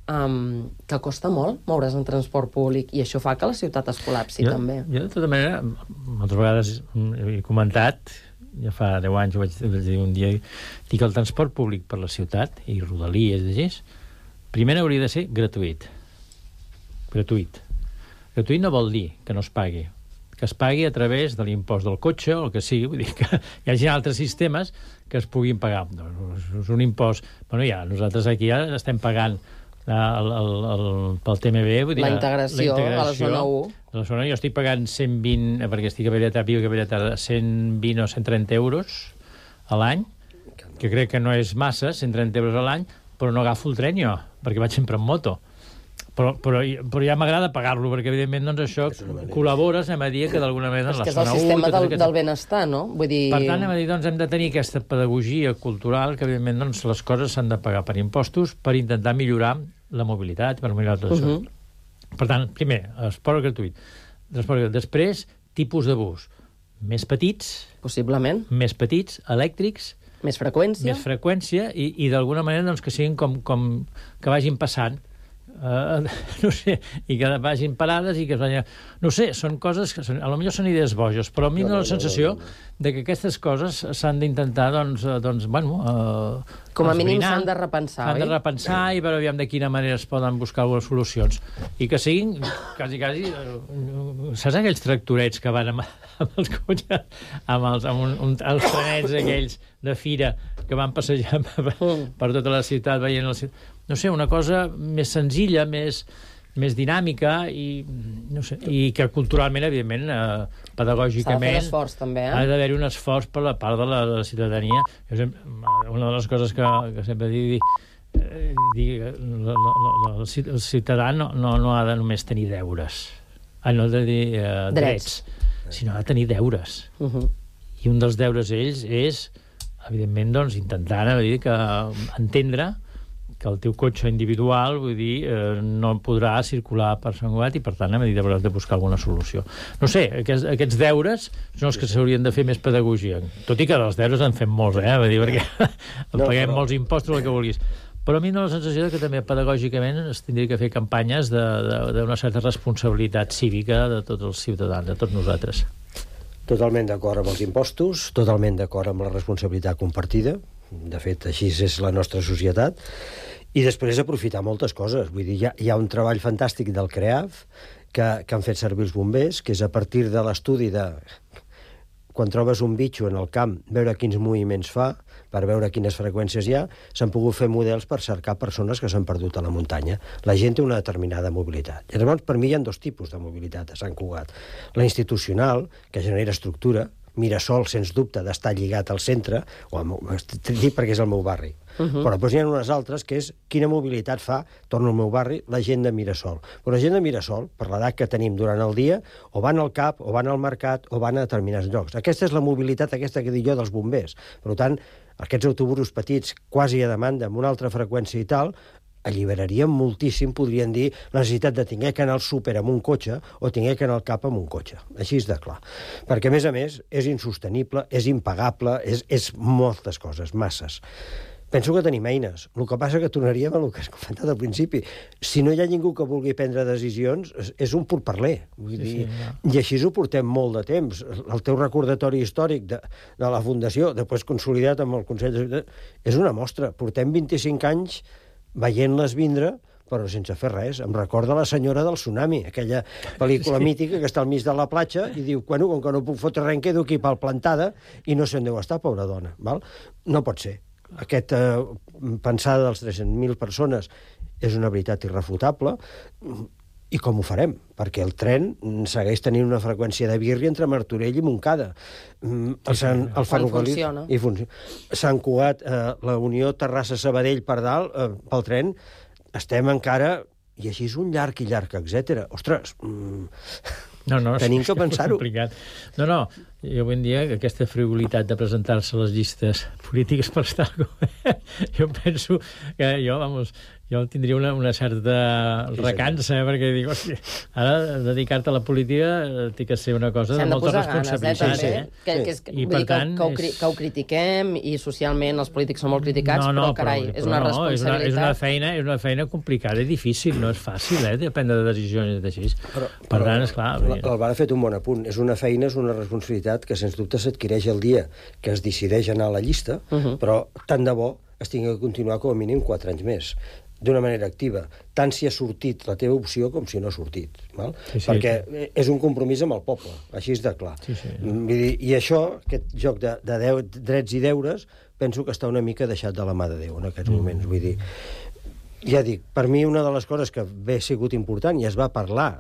Um, que costa molt moure's en transport públic, i això fa que la ciutat es col·lapsi, jo, també. Jo, de tota manera, moltes vegades he comentat, ja fa deu anys ho vaig dir un dia, dic que el transport públic per la ciutat, i Rodalies, així, primer hauria de ser gratuït. Gratuït. Gratuït no vol dir que no es pagui, que es pagui a través de l'impost del cotxe o el que sigui, vull dir que hi hagi altres sistemes que es puguin pagar. És un impost... Bueno, ja, nosaltres aquí ja estem pagant El, el, el, pel T M B, vull dir, la integració, la integració a la zona u. A la zona, jo estic pagant cent vint, perquè estic a Belleta, viu a Belleta, cent vint o cent trenta euros a l'any, que crec que no és massa, cent trenta euros a l'any, però no agafo el tren jo, perquè vaig sempre en moto. Però, però, però ja m'agrada pagar-lo, perquè evidentment doncs, això col·labores, anem a dir, que d'alguna manera en la zona u... És que és el sistema del, aquest... del benestar, no? Vull dir... Per tant, anem a dir, doncs, hem de tenir aquesta pedagogia cultural, que evidentment doncs, les coses s'han de pagar per impostos per intentar millorar la mobilitat, per millorar tot això. Uh -huh. Per tant, primer, esport gratuït. Transport, després, tipus de bus. Més petits... Possiblement. Més petits, elèctrics... Més freqüència. Més freqüència, i, i d'alguna manera doncs, que siguin com, com que vagin passant. Uh, no sé, i que vagin parades i que es vagin... No sé, són coses que són, a lo millor són idees boges, però a mi no, no, no, la sensació no, no, no. de que aquestes coses s'han d'intentar, doncs, doncs, bueno... Uh, Com a mínim s'han de repensar, S'han de repensar i veure aviam de quina manera es poden buscar algunes solucions. I que siguin, quasi, quasi... Uh, saps aquells tractorets que van amb, amb els cotxes, amb els, amb un, un, els trenets aquells de fira que van passejar per, per tota la ciutat, veient la ciutat... No sé, una cosa més senzilla, més, més dinàmica, i, no sé, i que culturalment, evidentment, eh, pedagògicament... S'ha de fer l'esforç, també, eh? Ha d'haver-hi un esforç per la part de la, de la ciutadania. Jo sempre, una de les coses que, que sempre dic, eh, dic la, la, la, el ciutadà no, no, no ha de només tenir deures. Ah, no ha de dir eh, drets. drets, sinó ha de tenir deures. Uh -huh. I un dels deures ells és, evidentment, doncs, intentar dir que entendre que el teu cotxe individual, vull dir, eh, no podrà circular per Sant Cugat i, per tant, a mesura hauràs de buscar alguna solució. No sé, aquests, aquests deures són els que s'haurien de fer més pedagogia. Tot i que dels deures en fem molts, eh? Vull dir, perquè no, paguem però... molts impostos, el que vulguis. Però a mi no la sensació que també pedagògicament es tindria que fer campanyes d'una certa responsabilitat cívica de tots els ciutadans, de tots nosaltres. Totalment d'acord amb els impostos, totalment d'acord amb la responsabilitat compartida. De fet, així és la nostra societat. I després aprofitar moltes coses. Vull dir, hi ha, hi ha un treball fantàstic del CREAF que, que han fet servir els bombers, que és a partir de l'estudi de... Quan trobes un bitxo en el camp, veure quins moviments fa, per veure quines freqüències hi ha, s'han pogut fer models per cercar persones que s'han perdut a la muntanya. La gent té una determinada mobilitat. I llavors, per mi hi ha dos tipus de mobilitat a Sant Cugat. La institucional, que genera estructura, Mirasol, sens dubte, d'estar lligat al centre, o al meu, dic perquè és el meu barri. Uh-huh. Però després hi ha unes altres que és quina mobilitat fa, torno al meu barri, la gent de Mirasol. Però la gent de Mirasol, per l'edat que tenim durant el dia, o van al cap, o van al mercat, o van a determinats llocs. Aquesta és la mobilitat, aquesta que dic jo, dels bombers. Per tant, aquests autobusos petits, quasi a demanda, amb una altra freqüència i tal, alliberaríem moltíssim, podrien dir, la necessitat de tenir que anar al súper amb un cotxe o tenir que anar al cap amb un cotxe. Així és de clar. Perquè, a més a més, és insostenible, és impagable, és, és moltes coses, masses. Penso que tenim eines. El que passa que tornaríem a el que has comentat al principi. Si no hi ha ningú que vulgui prendre decisions, és un pourparler. Vull sí, dir, sí, no. I així ho portem molt de temps. El teu recordatori històric de, de la Fundació, després consolidat amb el Consell de Ciutat, és una mostra. Portem vint-i-cinc anys veient-les vindre, però sense fer res. Em recorda la senyora del tsunami, aquella pel·lícula sí. mítica que està al mig de la platja i diu, bueno, com que no puc fotre res, em quedo aquí pel plantada i no sé on deu estar, pobra dona. Val? No pot ser. Aquesta eh, pensada dels tres-cents mil persones és una veritat irrefutable. I com ho farem? Perquè el tren segueix tenint una freqüència de birri entre Martorell i Montcada. El, Sant, el ferrocarril... Funciona. I funciona. Sant Cugat, eh, la Unió Terrassa-Sabadell per dalt, eh, pel tren, estem encara... I així és un llarg i llarg, etcètera. Ostres, mm, no, no, tenim que pensar-ho. No, no, jo avui en dia que aquesta frivolitat de presentar-se a les llistes polítiques per estar al govern, jo penso que jo, vamos... jo tindria una, una certa recança, eh, perquè dic, hòstia, ara dedicar-te a la política té que ser una cosa de molta responsabilitat. Ganes, eh, eh? Que, que és, I per dir, tant... Que, que, ho, que ho critiquem, i socialment els polítics són molt criticats, no, no, però, carai, però, és una però no, responsabilitat. És una, és, una feina, és una feina complicada i difícil, no és fàcil, eh, de prendre decisions així. Però, per però, tant, esclar... L'Alvar ha fet un bon apunt. És una feina, és una responsabilitat que, sens dubte, s'adquireix el dia que es decideix anar a la llista, uh -huh. però tant de bo es tingui que continuar com a mínim quatre anys més, d'una manera activa, tant si ha sortit la teva opció com si no ha sortit. Val? Sí, sí. Perquè és un compromís amb el poble, així és de clar. Sí, sí. Vull dir, i això, aquest joc de, de deu, drets i deures, penso que està una mica deixat de la mà de Déu en aquests mm. moments. Vull dir, ja dic, per mi una de les coses que bé ha sigut important i es va parlar,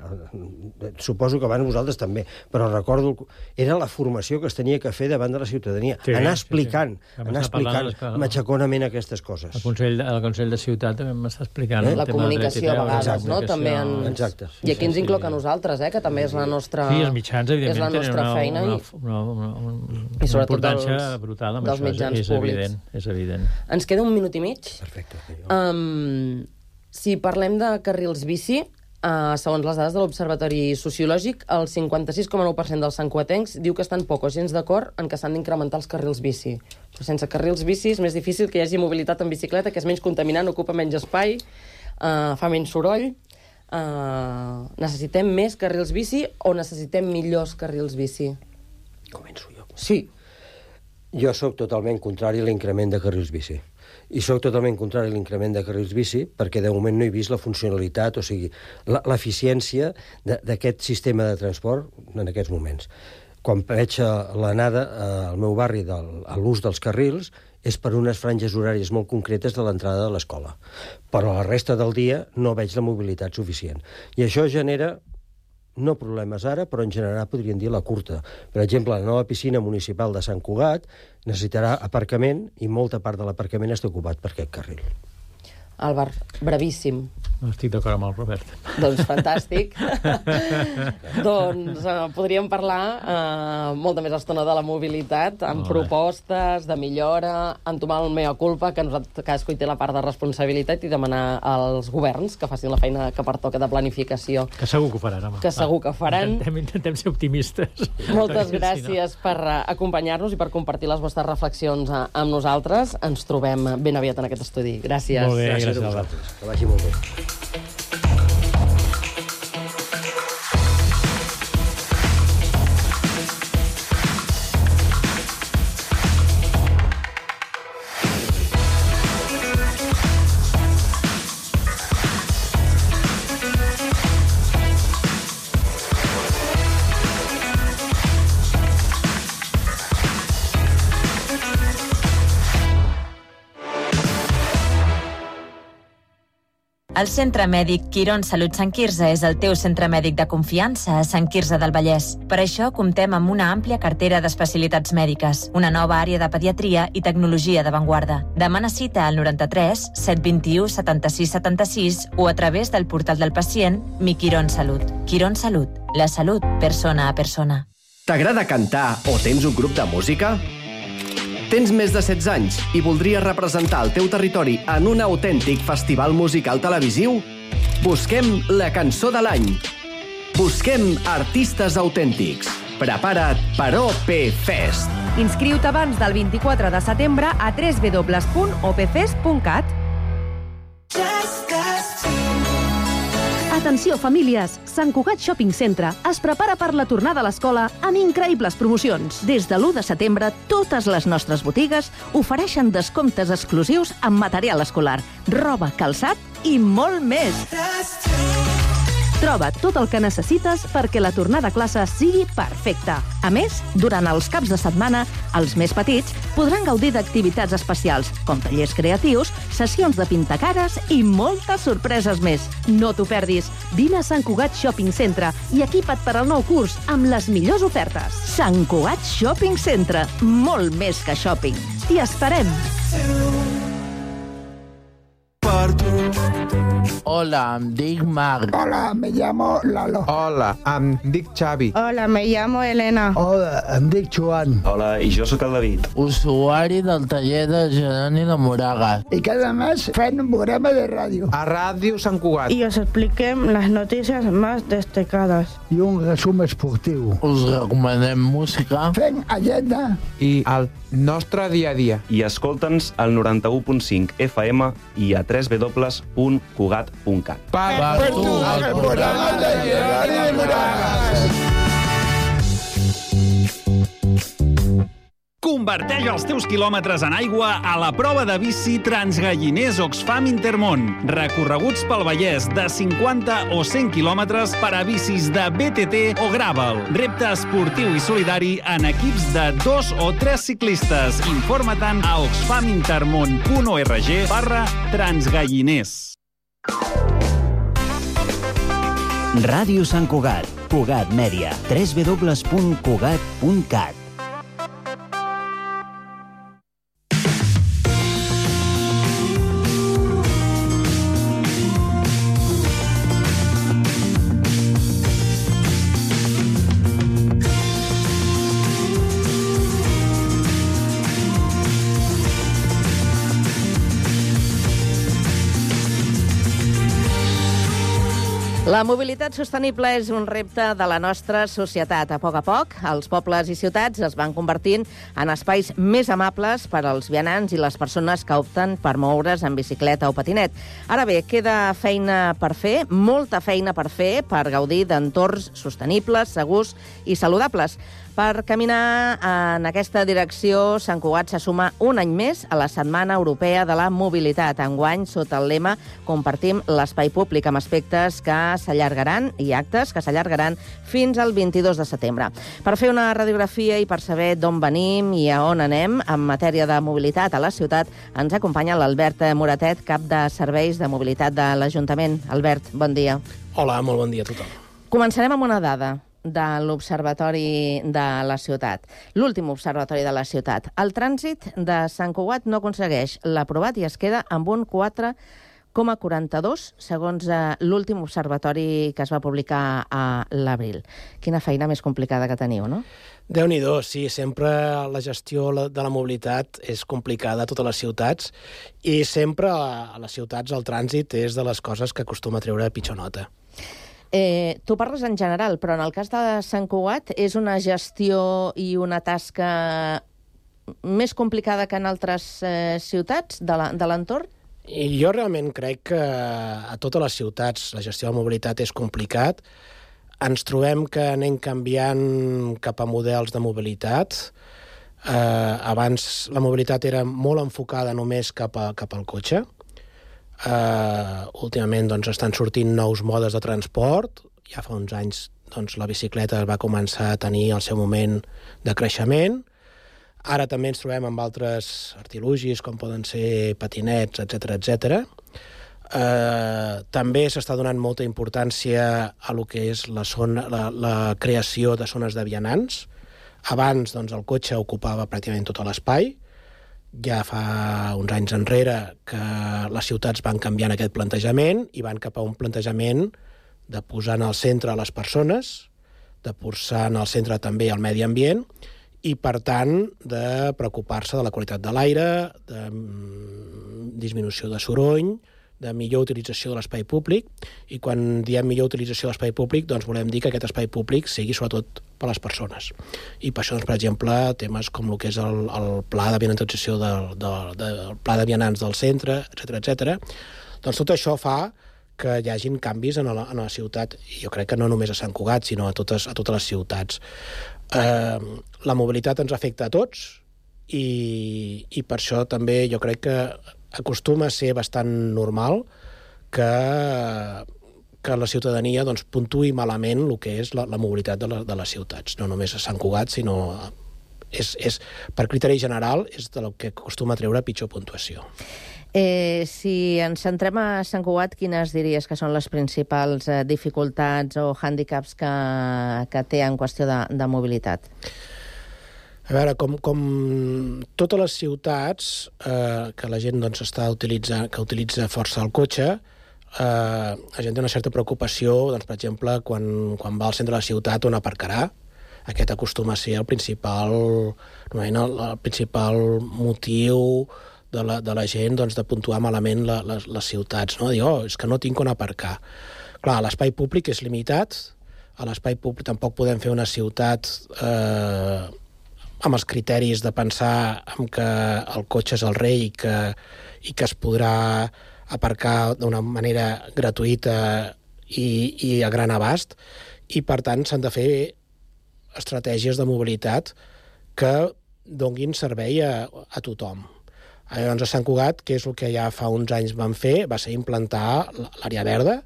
suposo que abans vosaltres també, però recordo, era la formació que es tenia que fer davant de la ciutadania. Sí, anar explicant, sí, sí. anar explicant matxaconament aquestes coses. El Consell, el Consell de Ciutat també m'està explicant. Eh? La comunicació a vegades, exacte, no? També en... Exacte. I aquí ens sí, incloc a nosaltres, eh? Que també és la nostra... Sí, els mitjans, evidentment, és la nostra una, feina. Una, una, una, una, una importància dels, brutal amb dels això, mitjans és, és públics. Evident, és evident. Ens queda un minut i mig. Perfecte. Um, si parlem de carrils bici, uh, segons les dades de l'Observatori Sociològic, el cinquanta-sis coma nou per cent dels santcuatencs diu que estan poc o gens d'acord en que s'han d'incrementar els carrils bici. Però sense carrils bici és més difícil que hi hagi mobilitat en bicicleta, que és menys contaminant, ocupa menys espai, uh, fa menys soroll. Uh, necessitem més carrils bici o necessitem millors carrils bici? Començo jo. Sí. Jo sóc totalment contrari a l'increment de carrils bici. I sóc totalment contrari a l'increment de carrils bici perquè de moment no he vist la funcionalitat, o sigui, l'eficiència d'aquest sistema de transport en aquests moments. Quan veig l'anada al meu barri de, a l'ús dels carrils és per unes franges horàries molt concretes de l'entrada de l'escola. Però la resta del dia no veig la mobilitat suficient. I això genera no problemes ara, però en general podríem dir la curta. Per exemple, la nova piscina municipal de Sant Cugat necessitarà aparcament i molta part de l'aparcament està ocupat per aquest carril. Álvar, brevíssim. No estic d'acord amb el Robert. Doncs fantàstic. doncs eh, podríem parlar eh, molta més estona de la mobilitat, amb Molt bé. propostes de millora, entomar el mea culpa, que nosaltres cadascú hi té la part de responsabilitat, i demanar als governs que facin la feina que pertoca de planificació. Que segur que ho faran, home. Que segur que ho faran. Intentem, intentem ser optimistes. Moltes Perquè, gràcies si per eh, acompanyar-nos i per compartir les vostres reflexions eh, amb nosaltres. Ens trobem ben aviat en aquest estudi. Gràcies. Molt bé, Gràcies, gràcies, a Albert. vosaltres. Que vagi molt bé. El Centre Mèdic Quirón Salut Sant Quirze és el teu centre mèdic de confiança a Sant Quirze del Vallès. Per això comptem amb una àmplia cartera d'especialitats mèdiques, una nova àrea de pediatria i tecnologia d'avantguarda. Demana cita al noranta-tres set vint-i-u setanta-sis setanta-sis o a través del portal del pacient Mi Quirón Salut. Quirón Salut, la salut persona a persona. T'agrada cantar o tens un grup de música? Tens més de setze anys i voldries representar el teu territori en un autèntic festival musical televisiu? Busquem la cançó de l'any. Busquem artistes autèntics. Prepara't per O P Fest. Inscriu-te abans del vint-i-quatre de setembre a w w w punt o p fest punt cat. Atenció, famílies! Sant Cugat Shopping Centre es prepara per la tornada a l'escola amb increïbles promocions. Des de l'u de setembre, totes les nostres botigues ofereixen descomptes exclusius en material escolar, roba, calçat i molt més. Troba tot el que necessites perquè la tornada a classe sigui perfecta. A més, durant els caps de setmana, els més petits podran gaudir d'activitats especials, com tallers creatius, sessions de pintacares i moltes sorpreses més. No t'ho perdis. Vine a Sant Cugat Shopping Centre i equipa't per al nou curs amb les millors ofertes. Sant Cugat Shopping Centre. Molt més que shopping. T'hi esperem. Hola, em dic Marc. Hola, me llamo Lalo. Hola, em dic Xavi. Hola, me llamo Elena. Hola, em dic Joan. Hola, i jo sóc el David. Usuari del taller de Geroni de Moragas. I cada mes fem un programa de ràdio. A Ràdio Sant Cugat. Y os expliquem las noticias más destacadas. I un resum esportiu. Us recomanem música. Fem agenda. I el nostre dia a dia. I escolta'ns al noranta-u punt cinc F M i a w w w punt cugat punt cat. Per, per tu, el programa de Geroni de Moragas. Converteix els teus quilòmetres en aigua a la prova de bici Transgalliners Oxfam Intermón. Recorreguts pel Vallès de cinquanta o cent quilòmetres per a bicis de B T T o Gravel. Repte esportiu i solidari en equips de dos o tres ciclistes. Informa-te'n a oxfamintermon punt org barra transgalliners. Ràdio Sant Cugat, Cugat Mèdia, w w w punt cugat punt cat. La mobilitat sostenible és un repte de la nostra societat. A poc a poc, els pobles i ciutats es van convertint en espais més amables per als vianants i les persones que opten per moure's en bicicleta o patinet. Ara bé, queda feina per fer, molta feina per fer, per gaudir d'entorns sostenibles, segurs i saludables. Per caminar en aquesta direcció, Sant Cugat se suma un any més a la Setmana Europea de la Mobilitat. Enguany, sota el lema, compartim l'espai públic amb aspectes que s'allargaran i actes que s'allargaran fins al vint-i-dos de setembre. Per fer una radiografia i per saber d'on venim i a on anem en matèria de mobilitat a la ciutat, ens acompanya l'Albert Moratet, cap de Serveis de Mobilitat de l'Ajuntament. Albert, bon dia. Hola, molt bon dia a tothom. Començarem amb una dada de l'Observatori de la Ciutat. L'últim observatori de la ciutat. El trànsit de Sant Cugat no aconsegueix l'aprovat i es queda amb un quatre coma quaranta-dos, segons l'últim observatori que es va publicar a l'abril. Quina feina més complicada que teniu, no? Déu-n'hi-do, sí, sempre la gestió de la mobilitat és complicada a totes les ciutats i sempre a les ciutats el trànsit és de les coses que acostuma a treure pitjor nota. Eh, tu parles en general, però en el cas de Sant Cugat és una gestió i una tasca més complicada que en altres eh, ciutats de l'entorn? I jo realment crec que a totes les ciutats la gestió de la mobilitat és complicat. Ens trobem que anem canviant cap a models de mobilitat. Eh, abans la mobilitat era molt enfocada només cap, a, cap al cotxe. Eh, últimament doncs, estan sortint nous modes de transport. Ja fa uns anys doncs, la bicicleta va començar a tenir el seu moment de creixement. Ara també ens trobem amb altres artilugis, com poden ser patinets, etcètera, etcètera. Eh, també s'està donant molta importància a lo que és la, zona, la, la creació de zones de vianants. Abans doncs, el cotxe ocupava pràcticament tot l'espai. Ja fa uns anys enrere que les ciutats van canviant aquest plantejament i van cap a un plantejament de posar en el centre les persones, de posar en el centre també el medi ambient i, per tant, de preocupar-se de la qualitat de l'aire, de disminució de soroll, de millor utilització de l'espai públic, i quan diem millor utilització de l'espai públic, doncs volem dir que aquest espai públic sigui sobretot per a les persones. I per això, doncs, per exemple, temes com el que és el, el pla de vianantització del, del, del pla de vianants del centre, etcètera, etcètera, doncs tot això fa que hi hagin canvis en la, en la ciutat, i jo crec que no només a Sant Cugat, sinó a totes, a totes les ciutats. Eh, la mobilitat ens afecta a tots i, i per això també jo crec que acostuma a ser bastant normal que, que la ciutadania doncs, puntuï malament el que és la, la mobilitat de, la, de les ciutats, no només a Sant Cugat, sinó és, és, per criteri general és del que acostuma a treure pitjor puntuació. Eh, si ens centrem a Sant Cugat, quines diries que són les principals eh, dificultats o hàndicaps que, que té en qüestió de, de mobilitat? A veure, com, com totes les ciutats eh, que la gent doncs, està utilitzant, que utilitza força el cotxe, eh, la gent té una certa preocupació, doncs, per exemple, quan, quan va al centre de la ciutat on aparcarà. Aquest acostuma a ser el principal, el, el principal motiu de la, de la gent doncs, de puntuar malament la, les, les ciutats, no? Dir, oh, és que no tinc on aparcar. Clar, l'espai públic és limitat, a l'espai públic tampoc podem fer una ciutat eh, amb els criteris de pensar en que el cotxe és el rei i que, i que es podrà aparcar d'una manera gratuïta i, i a gran abast, i per tant s'han de fer estratègies de mobilitat que donguin servei a, a tothom. Llavors, a Sant Cugat, que és el que ja fa uns anys vam fer, va ser implantar l'àrea verda,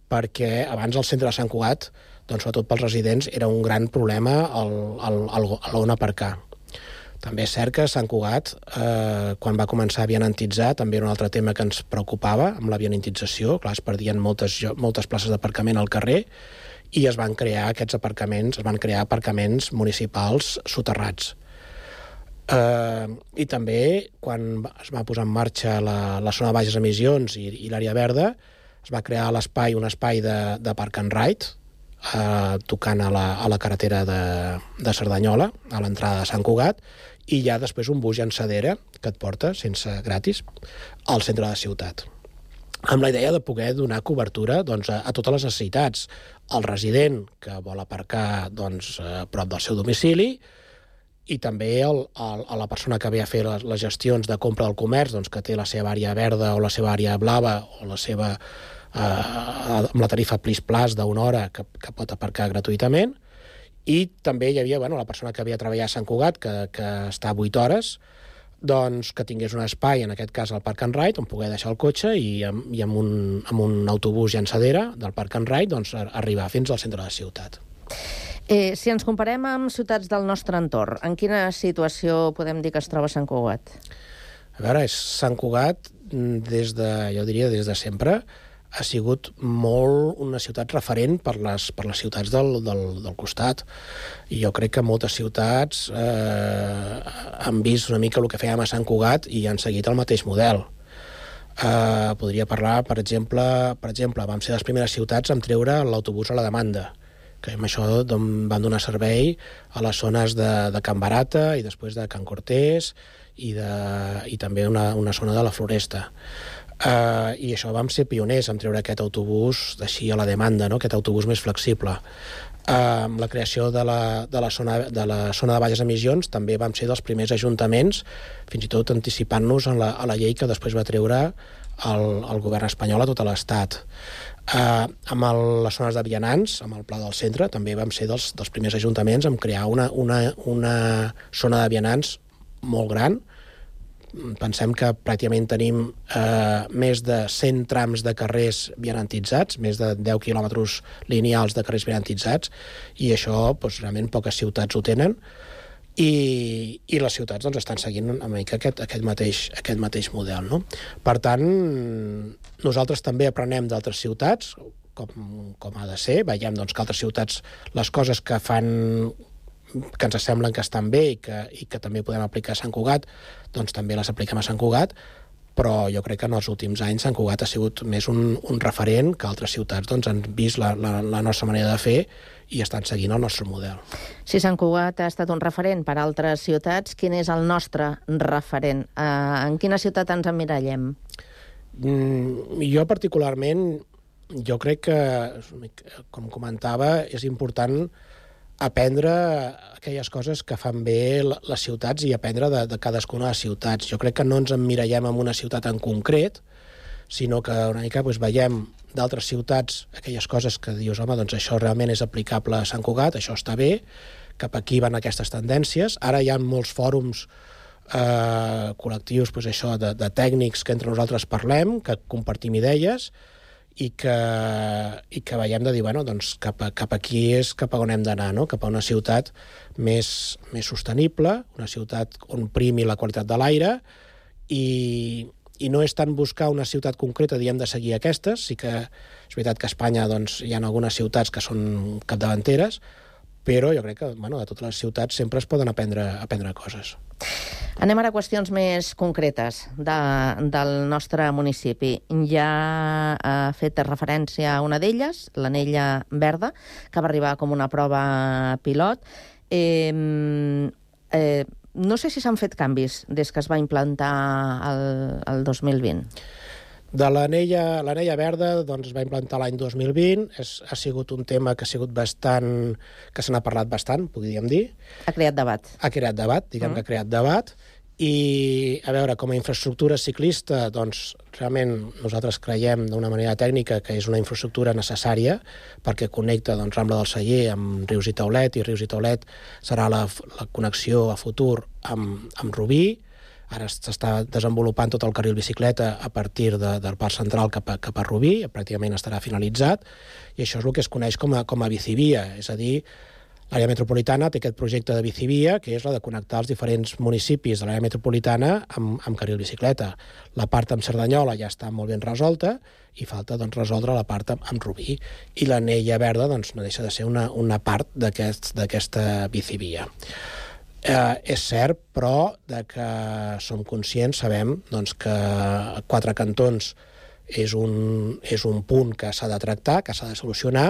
perquè abans al centre de Sant Cugat, doncs, sobretot pels residents, era un gran problema a l'on aparcar. També és cert que Sant Cugat, eh, quan va començar a vianantitzar, també era un altre tema que ens preocupava, amb la vianantització. Clar, es perdien moltes, moltes places d'aparcament al carrer i es van crear aquests aparcaments, es van crear aparcaments municipals soterrats. Uh, I també, quan es va posar en marxa la, la zona de baixes emissions i, i l'àrea verda, es va crear l'espai, un espai de, de park and ride, uh, tocant a la, a la carretera de, de Cerdanyola, a l'entrada de Sant Cugat, i hi ha després un bus llançadera que et porta, sense gratis, al centre de la ciutat. Amb la idea de poder donar cobertura doncs, a, a totes les necessitats. El resident que vol aparcar doncs, a prop del seu domicili, i també el, el, a la persona que ve a fer les, les gestions de compra del comerç, doncs, que té la seva àrea verda o la seva àrea blava o la seva, eh, amb la tarifa Plis Plus d'una hora que, que pot aparcar gratuïtament. I també hi havia bueno, la persona que havia de treballar a Sant Cugat, que, que està vuit hores, doncs, que tingués un espai, en aquest cas al Park and Ride, on poder deixar el cotxe i, amb, i amb, un, amb un autobús llançadera del Park and Ride doncs, arribar fins al centre de la ciutat. Eh, si ens comparem amb ciutats del nostre entorn, en quina situació podem dir que es troba Sant Cugat? A veure, és Sant Cugat, des de, jo diria des de sempre, ha sigut molt una ciutat referent per les, per les ciutats del, del, del costat. I jo crec que moltes ciutats eh, han vist una mica el que fèiem a Sant Cugat i han seguit el mateix model. Eh, podria parlar, per exemple, per exemple, vam ser les primeres ciutats en treure l'autobús a la demanda, que amb això van donar servei a les zones de, de Can Barata i després de Can Cortés i, de, i també una, una zona de la Floresta. Uh, I això vam ser pioners en treure aquest autobús d'així a la demanda, no? Aquest autobús més flexible. Uh, amb la creació de la, de, la zona, de la zona de baixes emissions també vam ser dels primers ajuntaments, fins i tot anticipant-nos a la, a la llei que després va treure el, el govern espanyol a tot l'Estat. Uh, amb el, les zones de vianants, amb el Pla del Centre, també vam ser dels, dels primers ajuntaments en crear una, una, una zona de vianants molt gran. Pensem que pràcticament tenim eh, més de cent trams de carrers vianantitzats, més de deu quilòmetres lineals de carrers vianantitzats, i això doncs, realment poques ciutats ho tenen, i, i les ciutats doncs, estan seguint una mica aquest, aquest, mateix, aquest mateix model. No? Per tant, nosaltres també aprenem d'altres ciutats, com, com ha de ser, veiem doncs, que altres ciutats, les coses que fan que ens semblen que estan bé i que, i que també podem aplicar a Sant Cugat, doncs també les apliquem a Sant Cugat, però jo crec que en els últims anys Sant Cugat ha sigut més un, un referent que altres ciutats doncs, han vist la, la, la nostra manera de fer i estan seguint el nostre model. Si Sant Cugat ha estat un referent per a altres ciutats, quin és el nostre referent? Uh, en quina ciutat ens emmirallem? Mm, jo particularment, jo crec que, com comentava, és important aprendre aquelles coses que fan bé les ciutats i aprendre de, de cadascuna de les ciutats. Jo crec que no ens emmirallem en una ciutat en concret, sinó que una mica doncs, veiem d'altres ciutats aquelles coses que dius, home, doncs això realment és aplicable a Sant Cugat, això està bé, cap aquí van aquestes tendències. Ara hi ha molts fòrums eh, col·lectius doncs això, de, de tècnics que entre nosaltres parlem, que compartim idees, i que, i que veiem de dir, bueno, doncs cap, a, cap aquí és cap a on hem d'anar, no? Cap a una ciutat més, més sostenible, una ciutat on primi la qualitat de l'aire, i, i no és tant buscar una ciutat concreta, diem de seguir aquestes, sí que és veritat que a Espanya doncs, hi ha algunes ciutats que són capdavanteres, però jo crec que bueno, de totes les ciutats sempre es poden aprendre, aprendre coses. Anem ara a qüestions més concretes de, del nostre municipi. Ja ha fet referència a una d'elles, l'Anella Verda, que va arribar com una prova pilot. Eh, eh, no sé si s'han fet canvis des que es va implantar el, el dos mil vint. De l'Anella l'Anella Verda doncs, es va implantar l'any dos mil vint, és, ha sigut un tema que ha sigut bastant, que se n'ha parlat bastant, podríem dir. Ha creat debat. Ha creat debat, diguem mm. que ha creat debat, i a veure, com a infraestructura ciclista, doncs realment nosaltres creiem d'una manera tècnica que és una infraestructura necessària perquè connecta doncs, Rambla del Celler amb Rius i Taulet, i Rius i Taulet serà la, la connexió a futur amb, amb Rubí. Ara s'està desenvolupant tot el carril bicicleta a partir de, del Parc Central cap a, cap a Rubí, pràcticament estarà finalitzat, i això és el que es coneix com a, com a bicivia, és a dir, l'àrea metropolitana té aquest projecte de bicivia, que és la de connectar els diferents municipis de l'àrea metropolitana amb, amb carril bicicleta. La part amb Cerdanyola ja està molt ben resolta i falta doncs, resoldre la part amb, amb Rubí. I l'Anella Verda doncs, no deixa de ser una, una part d'aquesta aquest, bicivia. Eh, és cert, però, de que som conscients, sabem doncs, que Quatre Cantons és un, és un punt que s'ha de tractar, que s'ha de solucionar,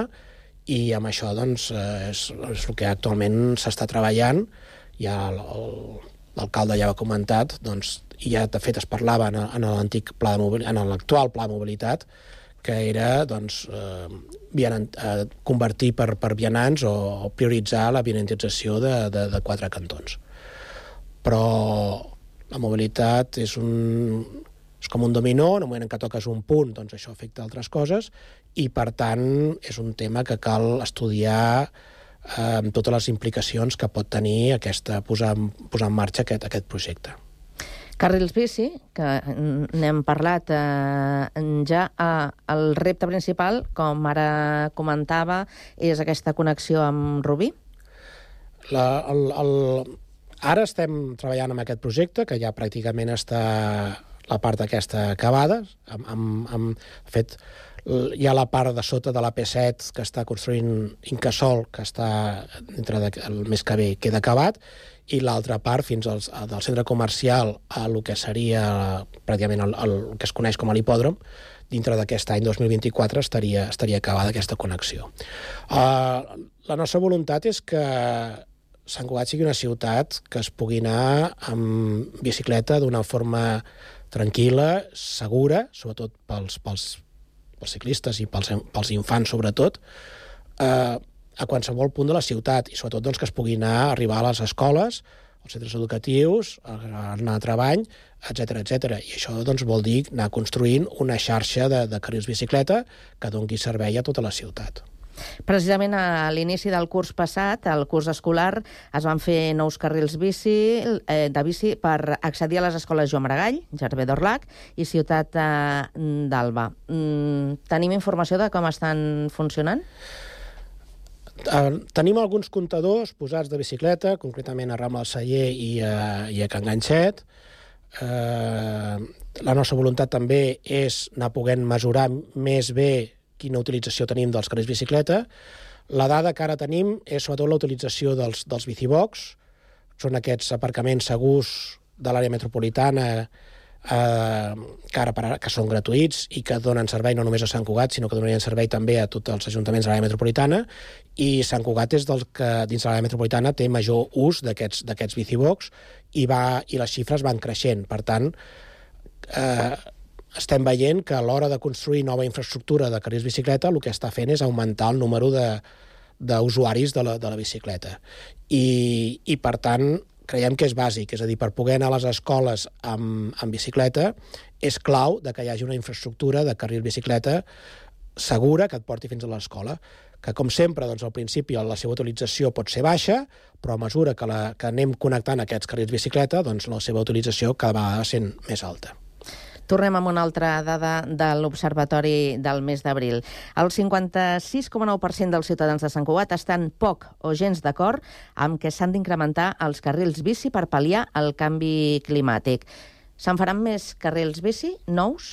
i amb això doncs, és, és el que actualment s'està treballant. Ja l'alcalde ja ho ha comentat, doncs, i ja de fet es parlava en, en l'antic pla de mobilitat, en l'actual pla de mobilitat, que era doncs, eh, vianant, eh, convertir per, per vianants o, o prioritzar la vianantització de, de, de Quatre Cantons. Però la mobilitat és, un, és com un dominó, en el moment en què toques un punt, doncs això afecta altres coses, i per tant és un tema que cal estudiar eh, amb totes les implicacions que pot tenir aquesta, posar, posar en marxa aquest, aquest projecte. Carrils bici, que n'hem parlat eh, ja, eh, el repte principal, com ara comentava, és aquesta connexió amb Rubí? La, el, el... Ara estem treballant amb aquest projecte, que ja pràcticament està la part aquesta acabada. Amb, amb, amb, de fet, Hi ha la part de sota de la P set que està construint Incasòl, que està entre de, el mes que ve queda acabat, i l'altra part fins al, del centre comercial a el que seria pràcticament el, el que es coneix com a l'hipòdrom, dintre d'aquest any dos mil vint-i-quatre estaria, estaria acabada aquesta connexió. Uh, la nostra voluntat és que Sant Cugat sigui una ciutat que es pugui anar amb bicicleta d'una forma tranquil·la, segura, sobretot pels, pels, pels ciclistes i pels, pels infants, sobretot, eh, a qualsevol punt de la ciutat, i sobretot doncs, que es pugui anar, arribar a les escoles, als centres educatius, anar a treball, etcètera, etcètera. I això doncs, vol dir anar construint una xarxa de, de carrils bicicleta que doni servei a tota la ciutat. Precisament a l'inici del curs passat, el curs escolar, es van fer nous carrils bici, eh, de bici per accedir a les escoles Joan Maragall, Gervais d'Orlac i Ciutat eh, d'Alba. Mm, tenim informació de com estan funcionant? Uh, tenim alguns comptadors posats de bicicleta, concretament a Rambla del Celler i a, i a Can Ganxet. Uh, la nostra voluntat també és anar podent mesurar més bé quina utilització tenim dels carrils bicicleta. La dada que ara tenim és sobretot la utilització dels, dels bicibox. Són aquests aparcaments segurs de l'àrea metropolitana eh, que ara per ara, que són gratuïts i que donen servei no només a Sant Cugat, sinó que donarien servei també a tots els ajuntaments de l'àrea metropolitana, i Sant Cugat és del que dins de l'àrea metropolitana té major ús d'aquests d'aquests bicibox i, va, i les xifres van creixent. Per tant, eh, estem veient que a l'hora de construir nova infraestructura de carrils bicicleta el que està fent és augmentar el número d'usuaris de, de, la, de la bicicleta. I, I, per tant, creiem que és bàsic. És a dir, per poder anar a les escoles amb, amb bicicleta és clau de que hi hagi una infraestructura de carril bicicleta segura que et porti fins a l'escola. Que, com sempre, doncs, al principi la seva utilització pot ser baixa, però a mesura que, la, que anem connectant aquests carrils bicicleta, doncs la seva utilització cada vegada sent més alta. Tornem amb una altra dada de l'Observatori del mes d'abril. El cinquanta-sis coma nou per cent dels ciutadans de Sant Cugat estan poc o gens d'acord amb que s'han d'incrementar els carrils bici per pal·liar el canvi climàtic. Se'n faran més carrils bici nous?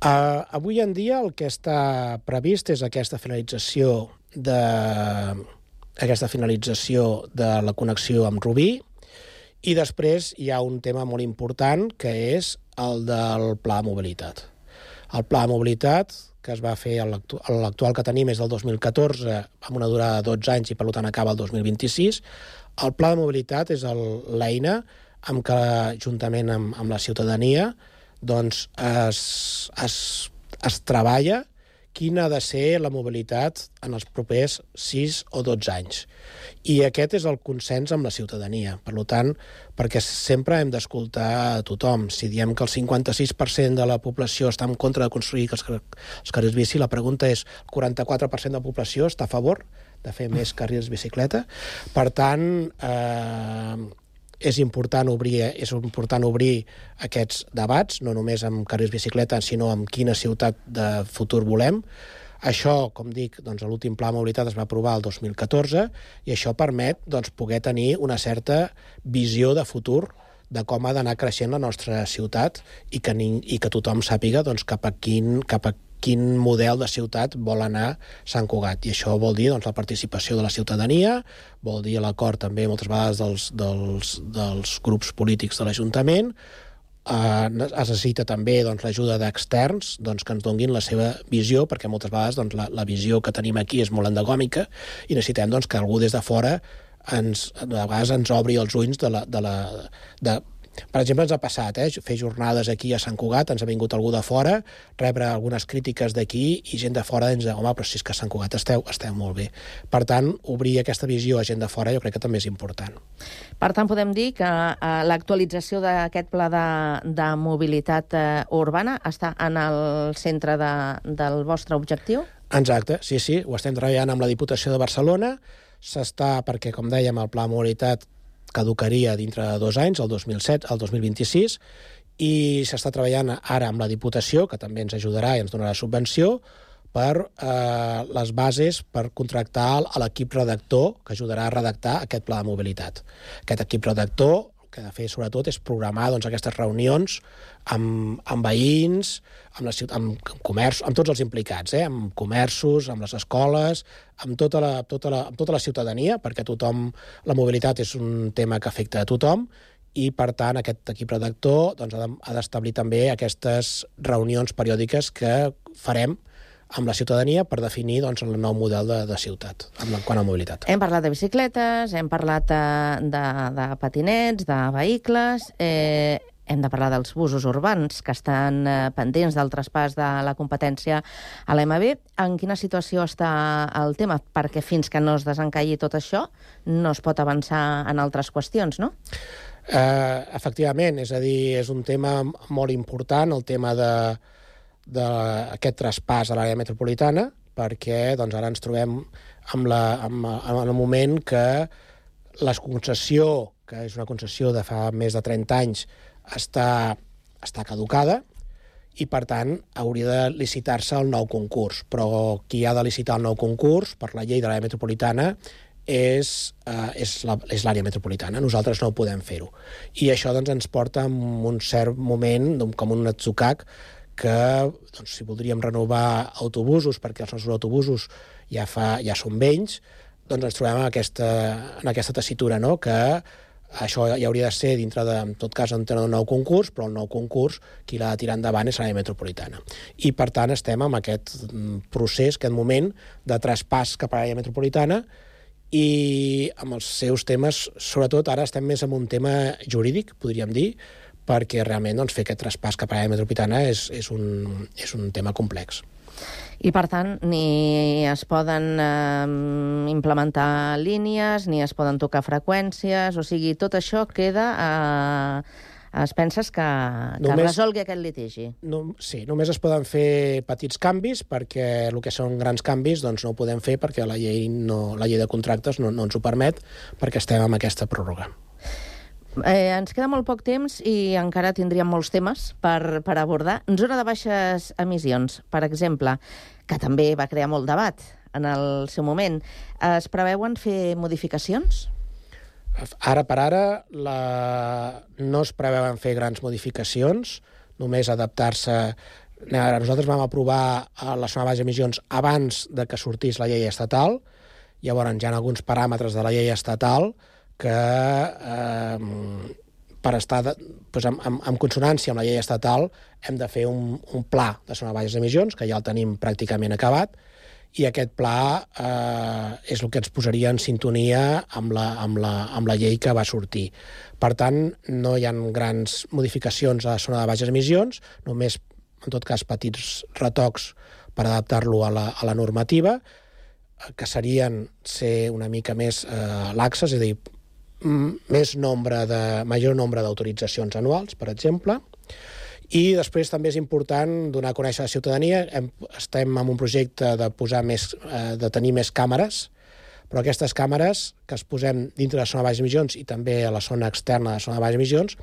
Uh, avui en dia el que està previst és aquesta finalització de, aquesta finalització de la connexió amb Rubí, i després hi ha un tema molt important, que és el del Pla de Mobilitat. El Pla de Mobilitat, que es va fer, l'actual que tenim és del dos mil catorze, amb una durada de dotze anys i per tant acaba el dos mil vint-i-sis. El Pla de Mobilitat és l'eina amb què, juntament amb, amb la ciutadania, doncs es, es, es treballa quina ha de ser la mobilitat en els propers sis o dotze anys. I aquest és el consens amb la ciutadania. Per tant, perquè sempre hem d'escoltar a tothom. Si diem que el cinquanta-sis per cent de la població està en contra de construir els, els carrils bici, la pregunta és, el quaranta-quatre per cent de la població està a favor de fer més carrils bicicleta? Per tant, eh, és important obrir, és important obrir aquests debats, no només amb carrils bicicleta, sinó amb quina ciutat de futur volem. Això, com dic, doncs, l'últim Pla de Mobilitat es va aprovar el dos mil catorze i això permet doncs, poder tenir una certa visió de futur de com ha d'anar creixent la nostra ciutat i que, i que tothom sàpiga doncs, cap a quin, cap a quin model de ciutat vol anar Sant Cugat. I això vol dir doncs, la participació de la ciutadania, vol dir l'acord també moltes vegades dels, dels, dels grups polítics de l'Ajuntament. Eh, es necessita també doncs, l'ajuda d'externs doncs, que ens donguin la seva visió, perquè moltes vegades doncs, la, la visió que tenim aquí és molt endogòmica i necessitem doncs, que algú des de fora ens, a vegades ens obri els ulls de la... De la de, per exemple, ens ha passat, eh, fer jornades aquí a Sant Cugat, ens ha vingut algú de fora, rebre algunes crítiques d'aquí i gent de fora ens diu, home, però si és que a Sant Cugat esteu, esteu molt bé. Per tant, obrir aquesta visió a gent de fora jo crec que també és important. Per tant, podem dir que eh, l'actualització d'aquest pla de, de mobilitat eh, urbana està en el centre de, del vostre objectiu? Exacte, sí, sí, ho estem treballant amb la Diputació de Barcelona, s'està, perquè, com dèiem, el pla de mobilitat caducaria dintre de dos anys, el dos mil set, el dos mil vint-i-sis, i s'està treballant ara amb la Diputació, que també ens ajudarà i ens donarà subvenció, per eh, les bases per contractar a l'equip redactor que ajudarà a redactar aquest pla de mobilitat. Aquest equip redactor, que ha de fer sobretot és programar doncs, aquestes reunions amb, amb veïns, amb, la ciutat, amb, amb comerç, amb tots els implicats, eh? Amb comerços, amb les escoles, amb tota la, tota la, amb tota la ciutadania, perquè tothom, la mobilitat és un tema que afecta a tothom, i, per tant, aquest equip redactor doncs, ha d'establir també aquestes reunions periòdiques que farem amb la ciutadania per definir doncs, el nou model de, de ciutat en quant a mobilitat. Hem parlat de bicicletes, hem parlat de, de, de patinets, de vehicles, eh, hem de parlar dels busos urbans que estan eh, pendents del traspàs de la competència a l'E M B. En quina situació està el tema? Perquè fins que no es desencalli tot això no es pot avançar en altres qüestions, no? Eh, efectivament, és a dir, és un tema molt important, el tema de d'aquest traspàs a l'àrea metropolitana, perquè doncs, ara ens trobem amb, la, amb, amb el moment que la concessió, que és una concessió de fa més de trenta anys, està, està caducada i, per tant, hauria de licitar-se el nou concurs. Però qui ha de licitar el nou concurs, per la llei de l'àrea metropolitana, és, uh, és, la, és l'àrea metropolitana. Nosaltres no podem fer-ho. I això doncs, ens porta en un cert moment, com un atzucac, que doncs, si voldríem renovar autobusos, perquè els nostres autobusos ja, fa, ja són vells, doncs ens trobem en aquesta, en aquesta tessitura, no? Que això ja hauria de ser dintre de, en tot cas, un nou concurs, però el nou concurs qui l'ha de tirar endavant és l'àrea metropolitana. I, per tant, estem en aquest procés, aquest moment de traspàs cap a l'àrea metropolitana, i amb els seus temes, sobretot ara estem més en un tema jurídic, podríem dir, perquè realment doncs, fer aquest traspàs cap a l'àrea metropolitana és, és, un, és un tema complex. I, per tant, ni es poden eh, implementar línies, ni es poden tocar freqüències, o sigui, tot això queda eh, es penses que, que només, resolgui aquest litigi? No, sí, només es poden fer petits canvis, perquè el que són grans canvis doncs, no ho podem fer perquè la llei, no, la llei de contractes no, no ens ho permet, perquè estem amb aquesta pròrroga. Eh, ens queda molt poc temps i encara tindríem molts temes per, per abordar. Zona de baixes emissions, per exemple, que també va crear molt debat en el seu moment. Es preveuen fer modificacions? Ara per ara la... no es preveuen fer grans modificacions, només adaptar-se. Nosaltres vam aprovar la zona de baixes emissions abans de que sortís la llei estatal. Llavors hi ha alguns paràmetres de la llei estatal que eh, per estar de, doncs, en, en, en consonància amb la llei estatal hem de fer un, un pla de zona de baixes emissions, que ja el tenim pràcticament acabat, i aquest pla eh, és el que ens posaria en sintonia amb la, amb, la, amb la llei que va sortir. Per tant, no hi ha grans modificacions a la zona de baixes emissions, només, en tot cas, petits retocs per adaptar-lo a, la, a la normativa, que serien ser una mica més eh, laxes, és a dir, més nombre de, major nombre d'autoritzacions anuals, per exemple. I després també és important donar a conèixer a la ciutadania. Hem, estem en un projecte de, posar més, eh, de tenir més càmeres, però aquestes càmeres que es posem dintre de la zona de baixes emissions i també a la zona externa de la zona de baixes emissions,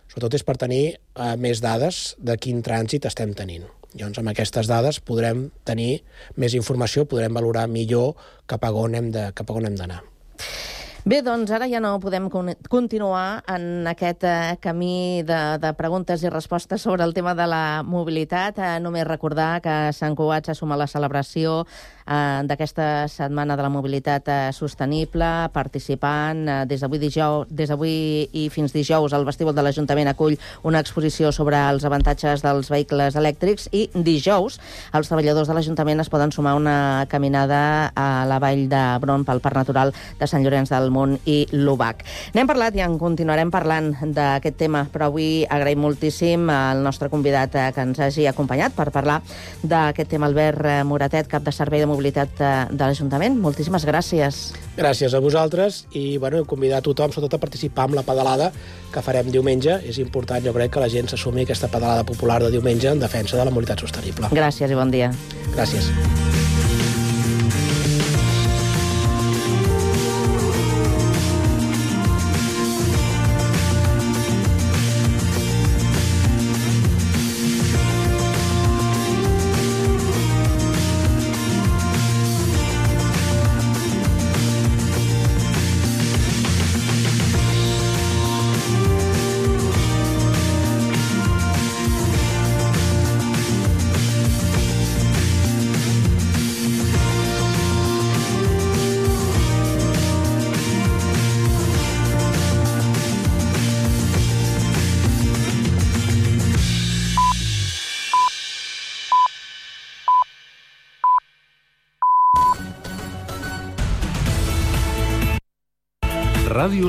sobretot és per tenir eh, més dades de quin trànsit estem tenint. Llavors, amb aquestes dades podrem tenir més informació, podrem valorar millor cap a on hem de, cap a on hem d'anar. Bé, doncs ara ja no podem continuar en aquest eh, camí de, de preguntes i respostes sobre el tema de la mobilitat. Eh, només recordar que Sant Cugat s'assuma a la celebració eh, d'aquesta Setmana de la Mobilitat eh, Sostenible, participant eh, des d'avui dijous, des d'avui i fins dijous el vestíbul de l'Ajuntament acull una exposició sobre els avantatges dels vehicles elèctrics i dijous els treballadors de l'Ajuntament es poden sumar a una caminada a la Vall d'Hebron pel Parc Natural de Sant Llorenç del Munt i l'Ubac. N'hem parlat i en continuarem parlant d'aquest tema, però avui agraïm moltíssim al nostre convidat que ens hagi acompanyat per parlar d'aquest tema, Albert Moratet, cap de Servei de Mobilitat de l'Ajuntament. Moltíssimes gràcies. Gràcies a vosaltres i bueno, convidar a tothom, sobretot a participar amb la pedalada que farem diumenge. És important, jo crec, que la gent s'assumi aquesta pedalada popular de diumenge en defensa de la mobilitat sostenible. Gràcies i bon dia. Gràcies. Ràdio